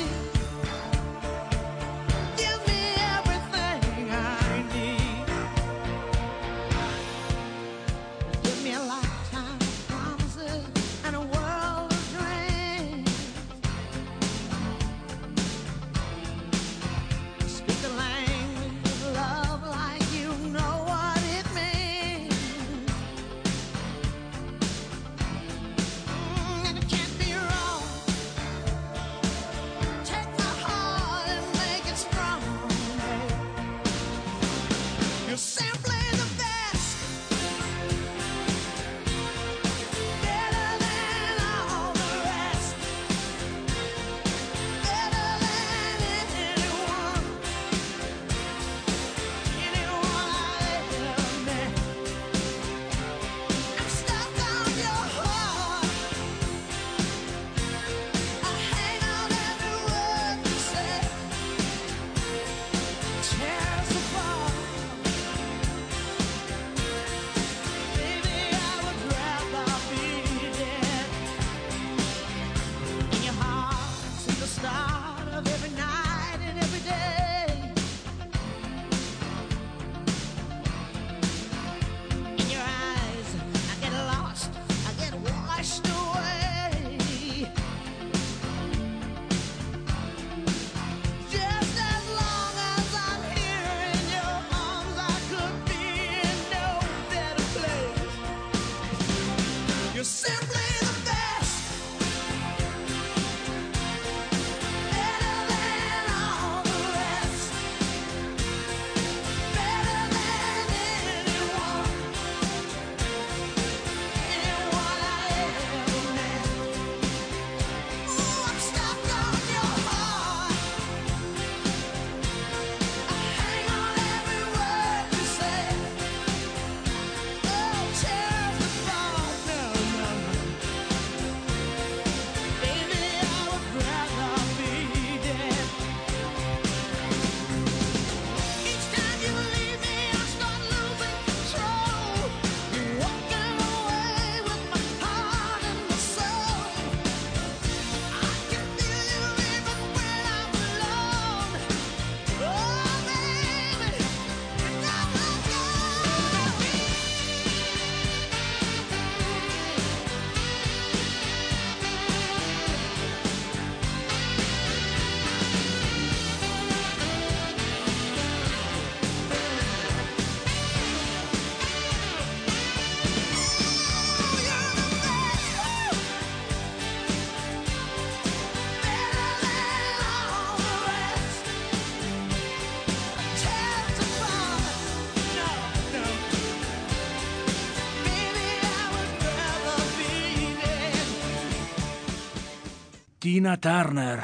Speaker 2: Tina Turner,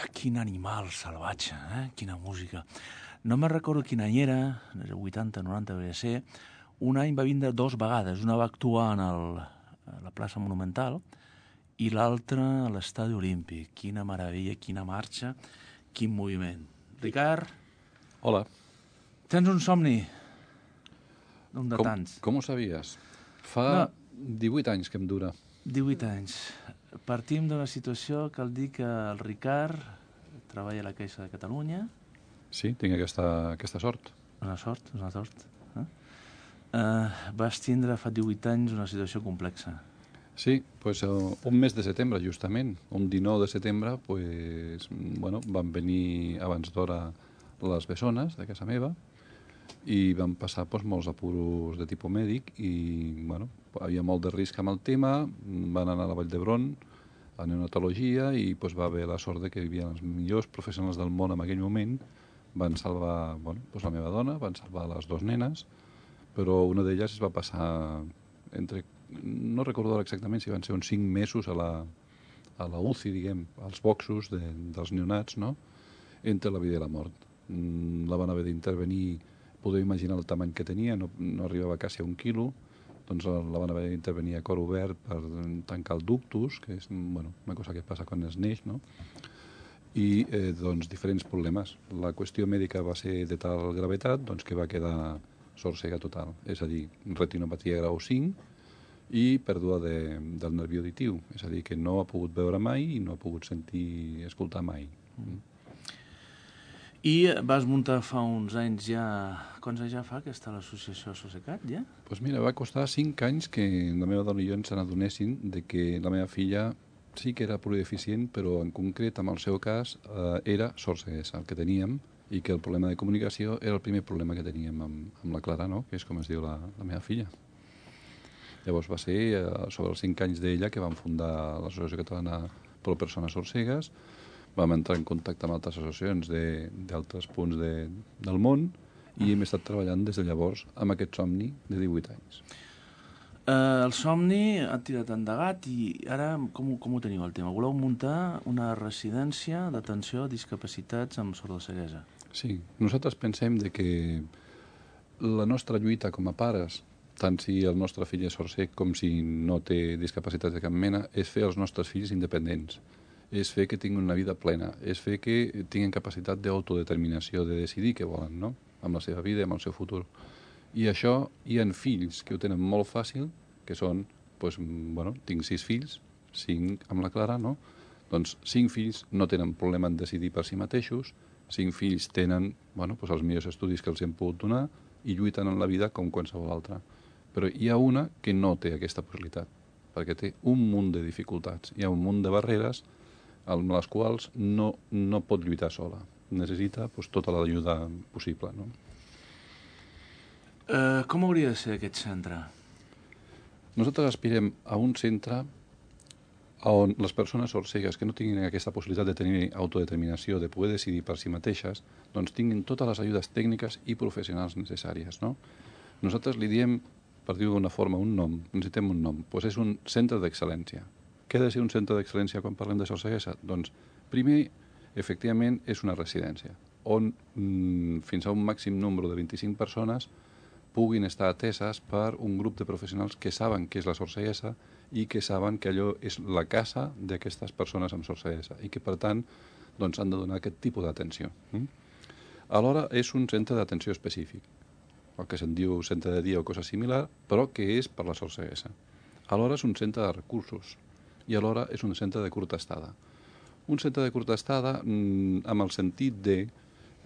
Speaker 2: quin animal salvatge, eh? Quina música. No me'n recordo quin any era, vuitanta, noranta, devia ser. Un any va vindre dos vegades. Una va actuar en el, a la plaça Monumental i l'altra a l'Estadi Olímpic. Quina meravella, quina marxa, quin moviment. Ricard?
Speaker 5: Hola.
Speaker 2: Tens un somni? Un de
Speaker 5: Com,
Speaker 2: tants.
Speaker 5: com ho sabies? Fa
Speaker 2: No.
Speaker 5: divuit anys que em dura.
Speaker 2: divuit anys. Partim d'una situació que el dir que el Ricard treballa a la Caixa de Catalunya.
Speaker 5: Sí, tinc aquesta, aquesta sort.
Speaker 2: Una sort, una sort. Eh? Uh, vas tindre fa divuit anys una situació complexa.
Speaker 5: Sí, pues, uh, un mes de setembre, justament. Un dinou de setembre, pues, bueno, van venir abans d'hora les bessones de casa meva i van passar pues, molts apuros de tipus mèdic i bueno, havia molt de risc amb el tema, van anar a la Vall d'Hebron a neonatologia i pues, va haver la sort de que hi havia els millors professionals del món en aquell moment, van salvar bueno, pues, la meva dona, van salvar les dues nenes, però una d'elles es va passar entre, no recordo exactament si van ser uns cinc mesos a la, a la U C I, diguem, als boxos de, dels neonats, no? Entre la vida i la mort. La van haver d'intervenir, podeu imaginar el tamany que tenia, no, no arribava quasi a un quilo, doncs la, la van haver d'intervenir a cor obert per tancar el ductus, que és bueno, una cosa que passa quan es neix, no? I eh, doncs diferents problemes. La qüestió mèdica va ser de tal gravetat doncs, que va quedar sord-cega total, és a dir, retinopatia grau cinc i pèrdua de, del nervi auditiu, és a dir, que no ha pogut veure mai i no ha pogut sentir, escoltar mai. Mm.
Speaker 2: I vas muntar fa uns anys ja... Quants anys ja fa que està l'associació Sosecat, ja?
Speaker 5: Doncs pues mira, va costar cinc anys que la meva dona i jo ens n'adonessin de que la meva filla sí que era plurideficient, però en concret, en el seu cas, eh, era sord-ceguesa, el que teníem, i que el problema de comunicació era el primer problema que teníem amb, amb la Clara, no? Que és com es diu la, la meva filla. Llavors va ser eh, sobre els cinc anys d'ella que vam fundar l'Associació Catalana per a Persones Sordcegues, vam entrar en contacte amb altres associacions d'altres punts de, del món i hem estat treballant des de llavors amb aquest somni de divuit anys.
Speaker 2: Uh, el somni ha tirat endegat i ara com, com ho teniu el tema? Voleu muntar una residència d'atenció a discapacitats amb sordoceguesa?
Speaker 5: Sí, nosaltres pensem de que la nostra lluita com a pares, tant si el nostre fill és sordcec com si no té discapacitats de cap mena, és fer els nostres fills independents. És fer que tinguin una vida plena, és fer que tinguin capacitat d'autodeterminació, de decidir què volen, no? Amb la seva vida i amb el seu futur. I això hi ha fills que ho tenen molt fàcil, que són, doncs, bueno, tinc sis fills, cinc amb la Clara, no? Doncs cinc fills no tenen problema en decidir per si mateixos, cinc fills tenen, bueno, doncs els millors estudis que els hem pogut donar i lluiten en la vida com qualsevol altra. Però hi ha una que no té aquesta possibilitat, perquè té un munt de dificultats, hi ha un munt de barreres amb les quals no, no pot lluitar sola. Necessita pues, tota l'ajuda possible. No?
Speaker 2: Uh, com hauria de ser aquest centre?
Speaker 5: Nosaltres aspirem a un centre on les persones sordcegues que no tinguin aquesta possibilitat de tenir autodeterminació, de poder decidir per si mateixes, doncs tinguin totes les ajudes tècniques i professionals necessàries. No? Nosaltres li diem, per dir-ho d'una forma, un nom, necessitem un nom, doncs és un centre d'excel·lència. Què ha de ser un centre d'excel·lència quan parlem de sordceguesa? Doncs, primer, efectivament, és una residència, on mm, fins a un màxim nombre de vint-i-cinc persones puguin estar ateses per un grup de professionals que saben què és la sordceguesa i que saben que allò és la casa d'aquestes persones amb sordceguesa i que, per tant, doncs, han de donar aquest tipus d'atenció. Mm? Alhora, és un centre d'atenció específic, el que se'n diu centre de dia o cosa similar, però que és per la sordceguesa. Alhora, és un centre de recursos, i alhora és un centre de curta estada. Un centre de curta estada mmm, amb el sentit de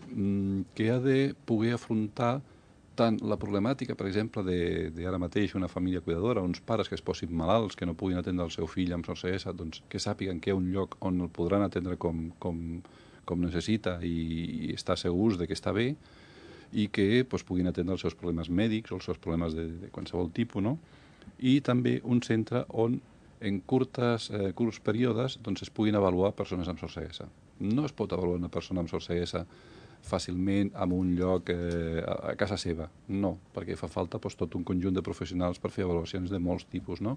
Speaker 5: mmm, que ha de poder afrontar tant la problemàtica, per exemple, de, de ara mateix una família cuidadora, uns pares que es posin malalts, que no puguin atendre el seu fill amb sordceguesa, doncs que sàpiguen que hi ha un lloc on el podran atendre com, com, com necessita i, i estar segurs de que està bé i que doncs, puguin atendre els seus problemes mèdics o els seus problemes de, de qualsevol tipus, no? I també un centre on en curtes, eh, curts períodes doncs es puguin avaluar persones amb sordceguesa. No es pot avaluar una persona amb sordceguesa fàcilment en un lloc eh, a casa seva, no, perquè fa falta doncs, tot un conjunt de professionals per fer avaluacions de molts tipus, no?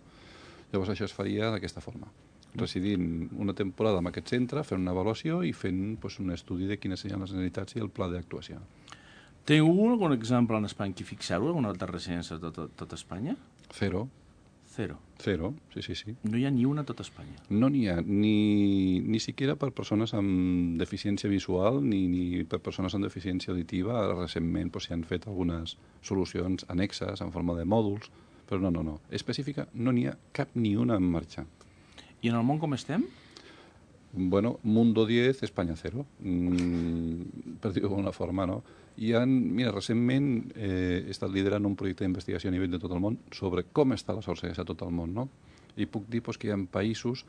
Speaker 5: Llavors això es faria d'aquesta forma. residint una temporada en aquest centre, fent una avaluació i fent pues, un estudi de quines serien les necessitats i el pla d'actuació.
Speaker 2: Teniu algun exemple en Espanya que fixeu alguna altra residència de tot, tot Espanya?
Speaker 5: Zero.
Speaker 2: Zero.
Speaker 5: Zero, sí, sí, sí.
Speaker 2: No hi ha ni una a tot Espanya.
Speaker 5: No n'hi ha, ni, ni siquiera per persones amb deficiència visual ni, ni per persones amb deficiència auditiva. Recentment pues, s'hi han fet algunes solucions annexes en forma de mòduls, però no, no, no. Específica no n'hi ha cap ni una en marxa.
Speaker 2: I en el món com estem?
Speaker 5: Bueno, Mundo diez, Espanya cero, mm, per dir-ho d'alguna forma, no? I han, mira, recentment eh, he estat liderant un projecte d'investigació a nivell de tot el món sobre com està la sorceguesa a tot el món, no? I puc dir pues, que hi ha països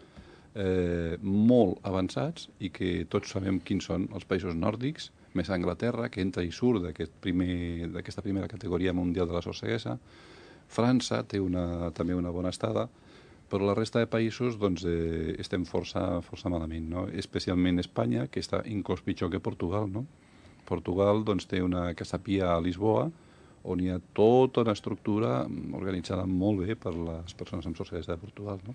Speaker 5: eh, molt avançats i que tots sabem quins són els països nòrdics, més Anglaterra, que entra i surt d'aquest primer, d'aquesta primera categoria mundial de la sorceguesa. França té una, també una bona estada, però la resta de països doncs, eh, estem força, força malament, no? Especialment Espanya, que està inclús pitjor que Portugal, no? Portugal doncs, té una casapia a Lisboa, on hi ha tota una estructura organitzada molt bé per les persones amb sorceguesa de Portugal, no?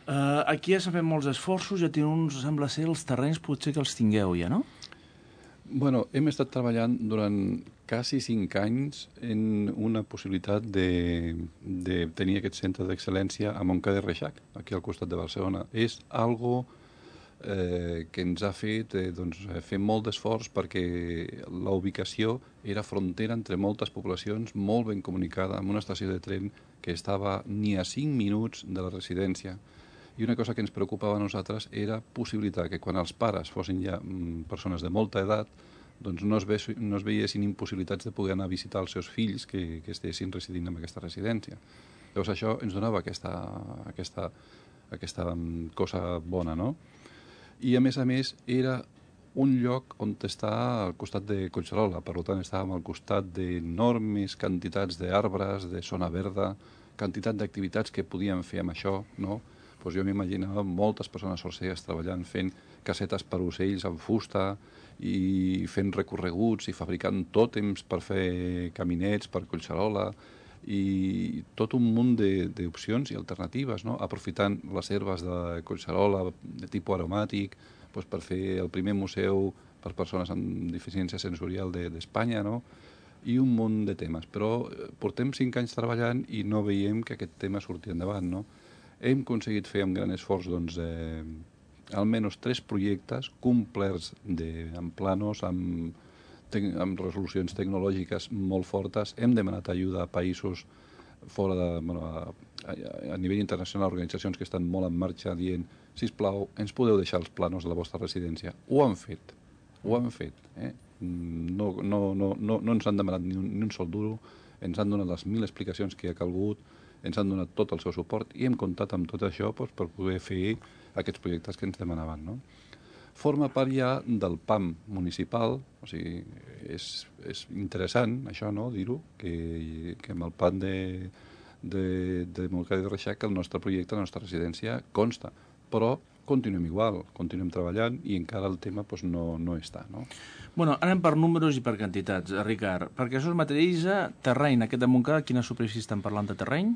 Speaker 2: Uh, aquí ja s'han fet molts esforços, ja teniu uns, sembla ser, els terrenys potser que els tingueu ja, no?
Speaker 5: Bueno, hem estat treballant durant quasi cinc anys en una possibilitat de, de tenir aquest centre d'excel·lència a Montcada i Reixac, aquí al costat de Barcelona. És algo eh, que ens ha fet eh, doncs, fer molt d'esforç perquè la ubicació era frontera entre moltes poblacions, molt ben comunicada, amb una estació de tren que estava ni a cinc minuts de la residència. I una cosa que ens preocupava a nosaltres era possibilitar que quan els pares fossin ja mm, persones de molta edat, doncs no es, ve, no es veiessin impossibilitats de poder anar a visitar els seus fills que, que estessin residint en aquesta residència. Llavors això ens donava aquesta, aquesta, aquesta cosa bona, no? I a més a més era un lloc on està al costat de Collserola, per tant estàvem al costat d'enormes quantitats d'arbres, de zona verda, quantitat d'activitats que podíem fer amb això, no? Pues jo m'imaginava moltes persones sorcegues treballant, fent casetes per ocells amb fusta i fent recorreguts i fabricant tòtems per fer caminets per Collserola i tot un munt d'opcions i alternatives, no? Aprofitant les herbes de Collserola de tipus aromàtic pues, per fer el primer museu per persones amb deficiència sensorial d'Espanya, no? I un munt de temes. Però portem cinc anys treballant i no veiem que aquest tema surti endavant, no? Hem aconseguit fer amb gran esforç doncs, eh, almenys tres projectes complerts de, amb planos, amb, te, amb resolucions tecnològiques molt fortes. Hem demanat ajuda a països fora de, bueno, a, a, a nivell internacional, organitzacions que estan molt en marxa dient, sisplau, ens podeu deixar els planos de la vostra residència. Ho han fet, ho han fet. Eh? No, no, no, no, no ens han demanat ni un, ni un sol duro, ens han donat les mil explicacions que ha calgut, ens han donat tot el seu suport i hem comptat amb tot això doncs, per poder fer aquests projectes que ens demanaven. No? Forma part ja del P A M municipal, o sigui, és, és interessant això, no?, dir-ho, que, que amb el P A M de, de, de Montcada i Reixac el nostre projecte, la nostra residència, consta, però continuem igual, continuem treballant i encara el tema doncs, no, no està. No?
Speaker 2: Bueno, anem per números i per quantitats, Ricard. Perquè això es materialitza terreny. Aquest de Montcada, quina superfície estan parlant de terreny?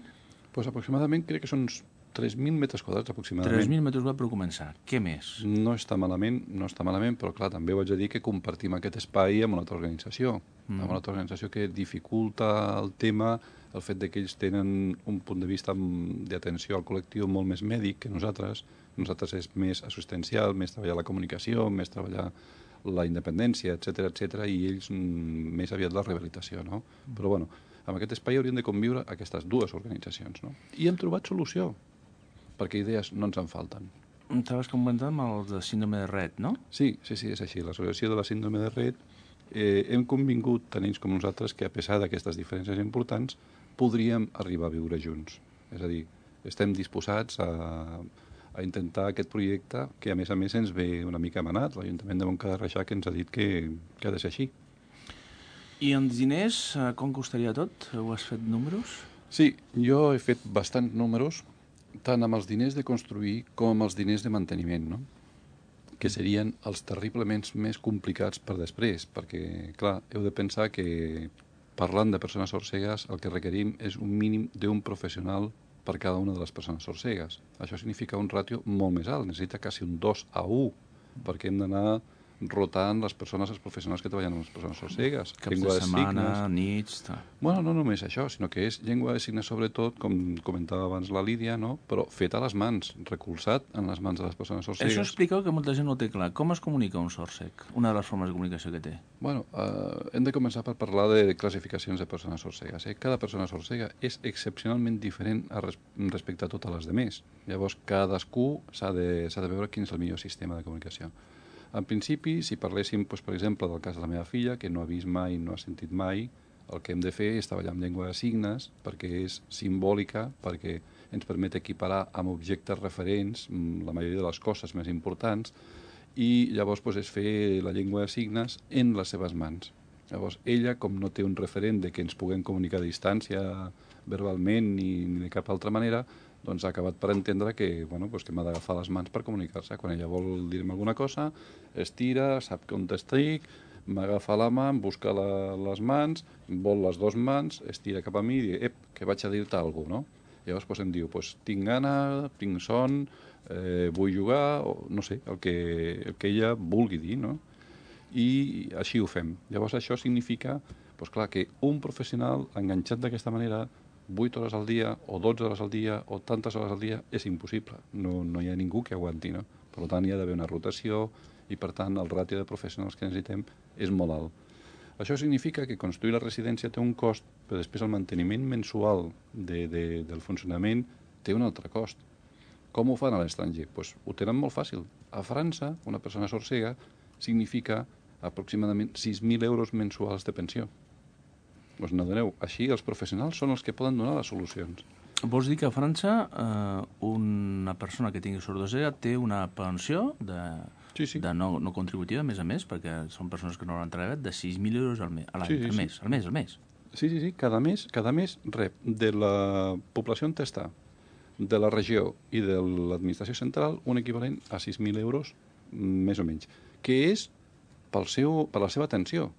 Speaker 5: Pues aproximadament crec que són uns tres mil metres quadrats aproximadament.
Speaker 2: tres mil metres quadrats per començar. Què més?
Speaker 5: No està malament, no està malament, però clar, també ho haig de dir que compartim aquest espai amb una altra organització, mm. amb una altra organització que dificulta el tema, el fet de que ells tenen un punt de vista d'atenció al col·lectiu molt més mèdic que nosaltres. Nosaltres és més assistencial, més treballar la comunicació, més treballar la independència, etcètera, etcètera, i ells mm, més aviat la rehabilitació, no? Mm. Però bueno, amb aquest espai haurien de conviure aquestes dues organitzacions, no? I hem trobat solució, perquè idees no ens en falten.
Speaker 2: Estaves comentant amb el de síndrome de Rett, no?
Speaker 5: Sí, sí, sí, és així. L'associació de la síndrome de Rett eh, hem convingut, tant ells com nosaltres, que a pesar d'aquestes diferències importants, podríem arribar a viure junts. És a dir, estem disposats a, a intentar aquest projecte que, a més a més, ens ve una mica manat. L'Ajuntament de Montcada i Reixac ens ha dit que, que ha de ser així.
Speaker 2: I els diners, com costaria tot? Heu has fet números?
Speaker 5: Sí, jo he fet bastants números, tant amb els diners de construir com amb els diners de manteniment, no? Que serien els terriblement més complicats per després, perquè, clar, heu de pensar que, parlant de persones sorcegues, el que requerim és un mínim d'un professional per cada una de les persones sorcegues. Això significa un ràtio molt més alt, necessita quasi un dos a u, perquè hem d'anar rotant les persones, els professionals que treballen amb les persones sorcegues.
Speaker 2: Caps de setmana, nits... Ta.
Speaker 5: Bueno, no només això, sinó que és llengua de signes sobretot, com comentava abans la Lídia, no? Però fet a les mans, recolzat en les mans de les persones sorcegues.
Speaker 2: Això expliqueu que molta gent no té clar. Com es comunica un sord-cec? Una de les formes de comunicació que té.
Speaker 5: Bueno, eh, hem de començar per parlar de classificacions de persones sorcegues. Eh? Cada persona sorcega és excepcionalment diferent a res respecte a totes les demés. Llavors, cadascú s'ha de, s'ha de veure quin és el millor sistema de comunicació. En principi, si parléssim, doncs, per exemple, del cas de la meva filla, que no ha vist mai, no ha sentit mai, el que hem de fer és treballar amb llengua de signes, perquè és simbòlica, perquè ens permet equiparar amb objectes referents la majoria de les coses més importants, i llavors doncs, és fer la llengua de signes en les seves mans. Llavors, ella, com no té un referent de que ens puguem comunicar a distància verbalment ni, ni de cap altra manera, doncs ha acabat per entendre que, bueno, doncs que m'ha d'agafar les mans per comunicar-se. Quan ella vol dir-me alguna cosa, estira, sap on estic, m'agafa la mà, em busca la, les mans, vol les dues mans, estira cap a mi i diu, ep, que vaig a dir-te alguna cosa, no? Llavors doncs, em diu, doncs, tinc gana, tinc son, eh, vull jugar, o no sé, el que, el que ella vulgui dir, no? I així ho fem. Llavors això significa, doncs clar, que un professional enganxat d'aquesta manera vuit hores al dia, o dotze hores al dia, o tantes hores al dia, és impossible. No, no hi ha ningú que aguanti, no? Per tant, hi ha d'haver una rotació i, per tant, el ràtio de professionals que necessitem és molt alt. Això significa que construir la residència té un cost, però després el manteniment mensual de, de, del funcionament té un altre cost. Com ho fan a l'estranger? Pues ho tenen molt fàcil. A França, una persona sorcega significa aproximadament sis mil euros mensuals de pensió. Us n'adoneu? Així els professionals són els que poden donar les solucions.
Speaker 2: Vols dir que a França eh, una persona que tingui sordosega té una pensió de,
Speaker 5: sí, sí.
Speaker 2: de no, no contributiva, a més a més, perquè són persones que no l'han treballat, de sis mil euros al, me, a l'any,
Speaker 5: sí, sí,
Speaker 2: al
Speaker 5: sí.
Speaker 2: mes, al mes, al mes.
Speaker 5: Sí, sí, sí. Cada mes, cada mes rep de la població on està, de la regió i de l'administració central un equivalent a sis mil euros, més o menys, que és pel seu, per la seva atenció.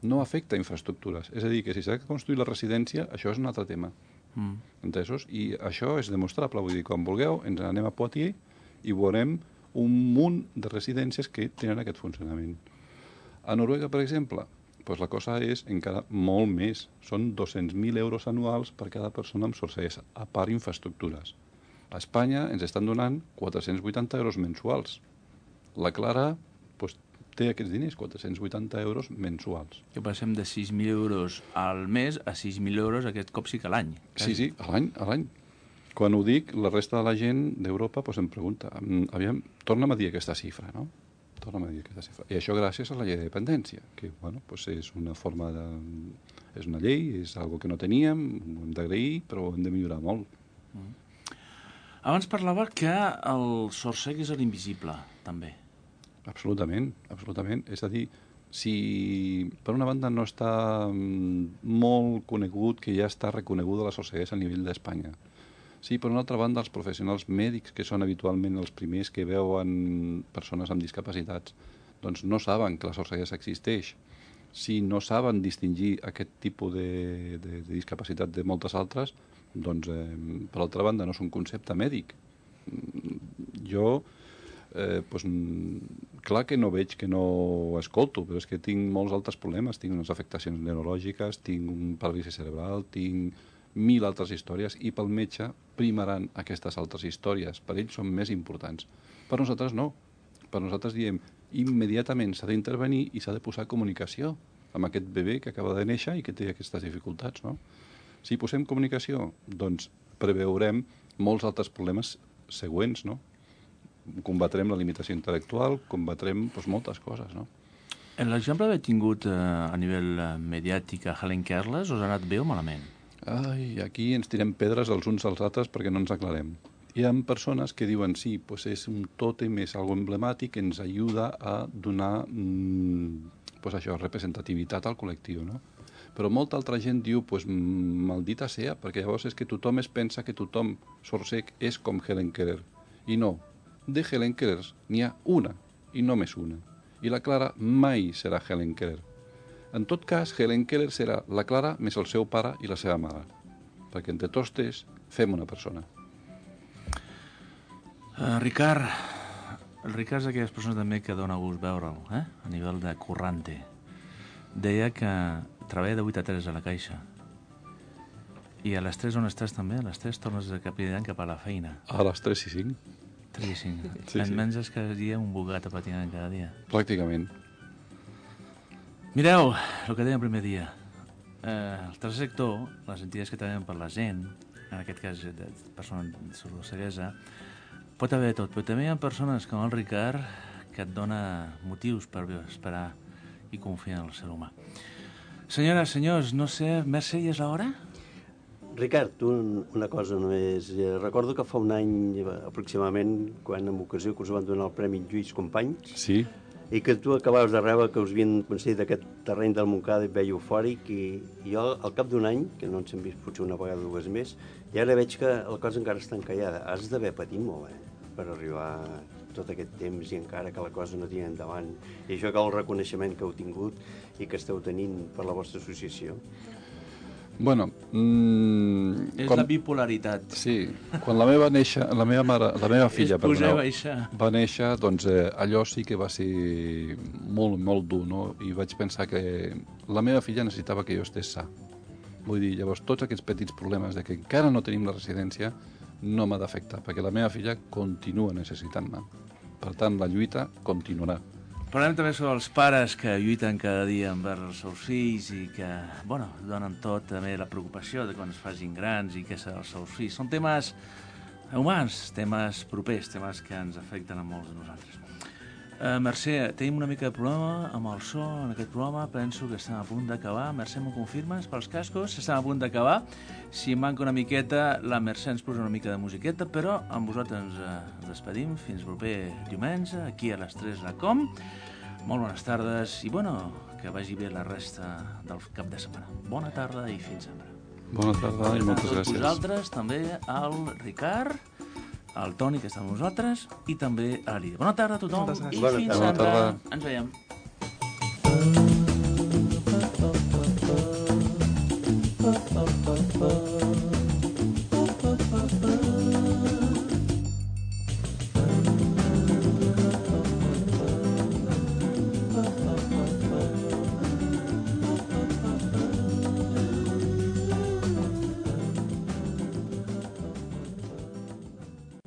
Speaker 5: No afecta infraestructures. És a dir, que si s'ha de construir la residència, això és un altre tema. Mm. Entesos? I això és demostrable. Vull dir, quan vulgueu, ens anem a Poitiers i veurem un munt de residències que tenen aquest funcionament. A Noruega, per exemple, doncs la cosa és encara molt més. Són dos-cents mil euros anuals per cada persona amb sorceguesa, a part infraestructures. A Espanya ens estan donant quatre-cents vuitanta euros mensuals. La Clara doncs, té aquests diners, quatre-cents vuitanta euros mensuals.
Speaker 2: Que passem de sis mil euros al mes a sis mil euros aquest cop sí que a l'any.
Speaker 5: Sí, sí, a l'any, a l'any. Quan ho dic, la resta de la gent d'Europa doncs, em pregunta, aviam, torna'm a dir aquesta xifra, no? Torna'm a dir aquesta xifra. I això gràcies a la llei de dependència, que bueno, doncs és una forma de... és una llei, és algo que no teníem, ho hem d'agrair, però ho hem de millorar molt.
Speaker 2: Mm. Abans parlava que el sord-cec és l'invisible, també.
Speaker 5: Absolutament, absolutament. És a dir, si per una banda no està molt conegut, que ja està reconeguda la sorceguesa a nivell d'Espanya. Sí, per una altra banda, els professionals mèdics, que són habitualment els primers que veuen persones amb discapacitats, doncs no saben que la sorceguesa existeix. Si no saben distingir aquest tipus de, de, de discapacitat de moltes altres, doncs, eh, per altra banda, no és un concepte mèdic. Jo... Eh, doncs, clar que no veig, que no escolto, però és que tinc molts altres problemes, tinc unes afectacions neurològiques, tinc un paràlisi cerebral, tinc mil altres històries, i pel metge primaran aquestes altres històries. Per ells són més importants. Per nosaltres no. Per nosaltres diem, immediatament s'ha d'intervenir i s'ha de posar comunicació amb aquest bebè que acaba de néixer i que té aquestes dificultats, no? Si posem comunicació, doncs preveurem molts altres problemes següents, no? Combatrem la limitació intel·lectual, combatrem doncs, moltes coses, no?
Speaker 2: En l'exemple d'haver tingut eh, a nivell eh, mediàtic a Helen Keller, us ha anat bé o malament?
Speaker 5: Ai, aquí ens tirem pedres els uns als altres perquè no ens aclarem. Hi ha persones que diuen sí, pues és un tòtem, és algo emblemàtic que ens ajuda a donar mmm, pues això, representativitat al col·lectiu, no? Però molta altra gent diu, pues, maldita sea, perquè llavors és que tothom es pensa que tothom sorcec és com Helen Keller. I no, de Helen Keller n'hi ha una, i només una. I la Clara mai serà Helen Keller. En tot cas, Helen Keller serà la Clara més el seu pare i la seva mare. Perquè entre tots tres fem una persona.
Speaker 2: Uh, Ricard, el Ricard és d'aquelles persones també que dona gust veure'l, eh? A nivell de currante. Deia que treballa de vuit a tres a la caixa. I a les tres on estàs també? A les tres tornes de capitán cap a la feina.
Speaker 5: A les tres i cinc.
Speaker 2: tres i cinc.
Speaker 5: Sí,
Speaker 2: En
Speaker 5: sí.
Speaker 2: menges cada dia un bogat a patinar cada dia.
Speaker 5: Pràcticament.
Speaker 2: Mireu, el que deia el primer dia. Eh, el tercer sector, les entitats que treballen per la gent, en aquest cas de persones sordoceguesa, pot haver tot, però també hi ha persones com el Ricard que et dona motius per esperar i confiar en el ser humà. Senyores, senyors, no sé, Mercè, ja és l'hora?
Speaker 3: Ricard, tu una cosa només. Eh, Recordo que fa un any eh, aproximadament, quan en ocasió que us van donar el Premi Lluís Companys,
Speaker 5: Sí,
Speaker 3: i que tu acabaves de rebre que us havien concedit aquest terreny del Montcada i et veia eufòric, i, i jo al cap d'un any, que no ens hem vist potser una vegada o dues més, i ara veig que la cosa encara està encallada. Has d'haver patit molt, eh, per arribar tot aquest temps i encara que la cosa no tira endavant. I això que el reconeixement que heu tingut i que esteu tenint per la vostra associació.
Speaker 5: bueno... Mm,
Speaker 2: És la bipolaritat.
Speaker 5: Sí, quan la meva, néixer, la meva, mare, la meva filla
Speaker 2: És pujar i
Speaker 5: perdoneu,
Speaker 2: baixar.
Speaker 5: va néixer, doncs eh, allò sí que va ser molt, molt dur, no? I vaig pensar que la meva filla necessitava que jo estés sa. Vull dir, llavors, tots aquests petits problemes de que encara no tenim la residència no m'ha d'afectar, perquè la meva filla continua necessitant-me. Per tant, la lluita continuarà.
Speaker 2: Parlem també sobre els pares que lluiten cada dia envers els seus fills i que, bueno, donen tot, també la preocupació de quan es facin grans i què serà els seus fills. Són temes humans, temes propers, temes que ens afecten a molts de nosaltres. Uh, Mercè, tenim una mica de problema amb el so en aquest programa, penso que estem a punt d'acabar. Mercè, m'ho confirmes pels cascos? Estem a punt d'acabar. Si manca una miqueta, la Mercè ens posa una mica de musiqueta, però amb vosaltres ens uh, despedim fins el proper diumenge, aquí a les tres a la Com. Molt bones tardes i, bueno, que vagi bé la resta del cap de setmana. Bona tarda i fins sempre.
Speaker 5: Bona tarda i moltes gràcies.
Speaker 2: Vosaltres, també al Ricard, al Toni, que està amb nosaltres, i també a la Lídia. Bona tarda a tothom
Speaker 4: Moltes gràcies.
Speaker 2: i
Speaker 3: Bona
Speaker 2: fins
Speaker 3: tarda.
Speaker 2: sempre.
Speaker 5: Bona
Speaker 2: Ens veiem.
Speaker 6: Oh, oh, oh.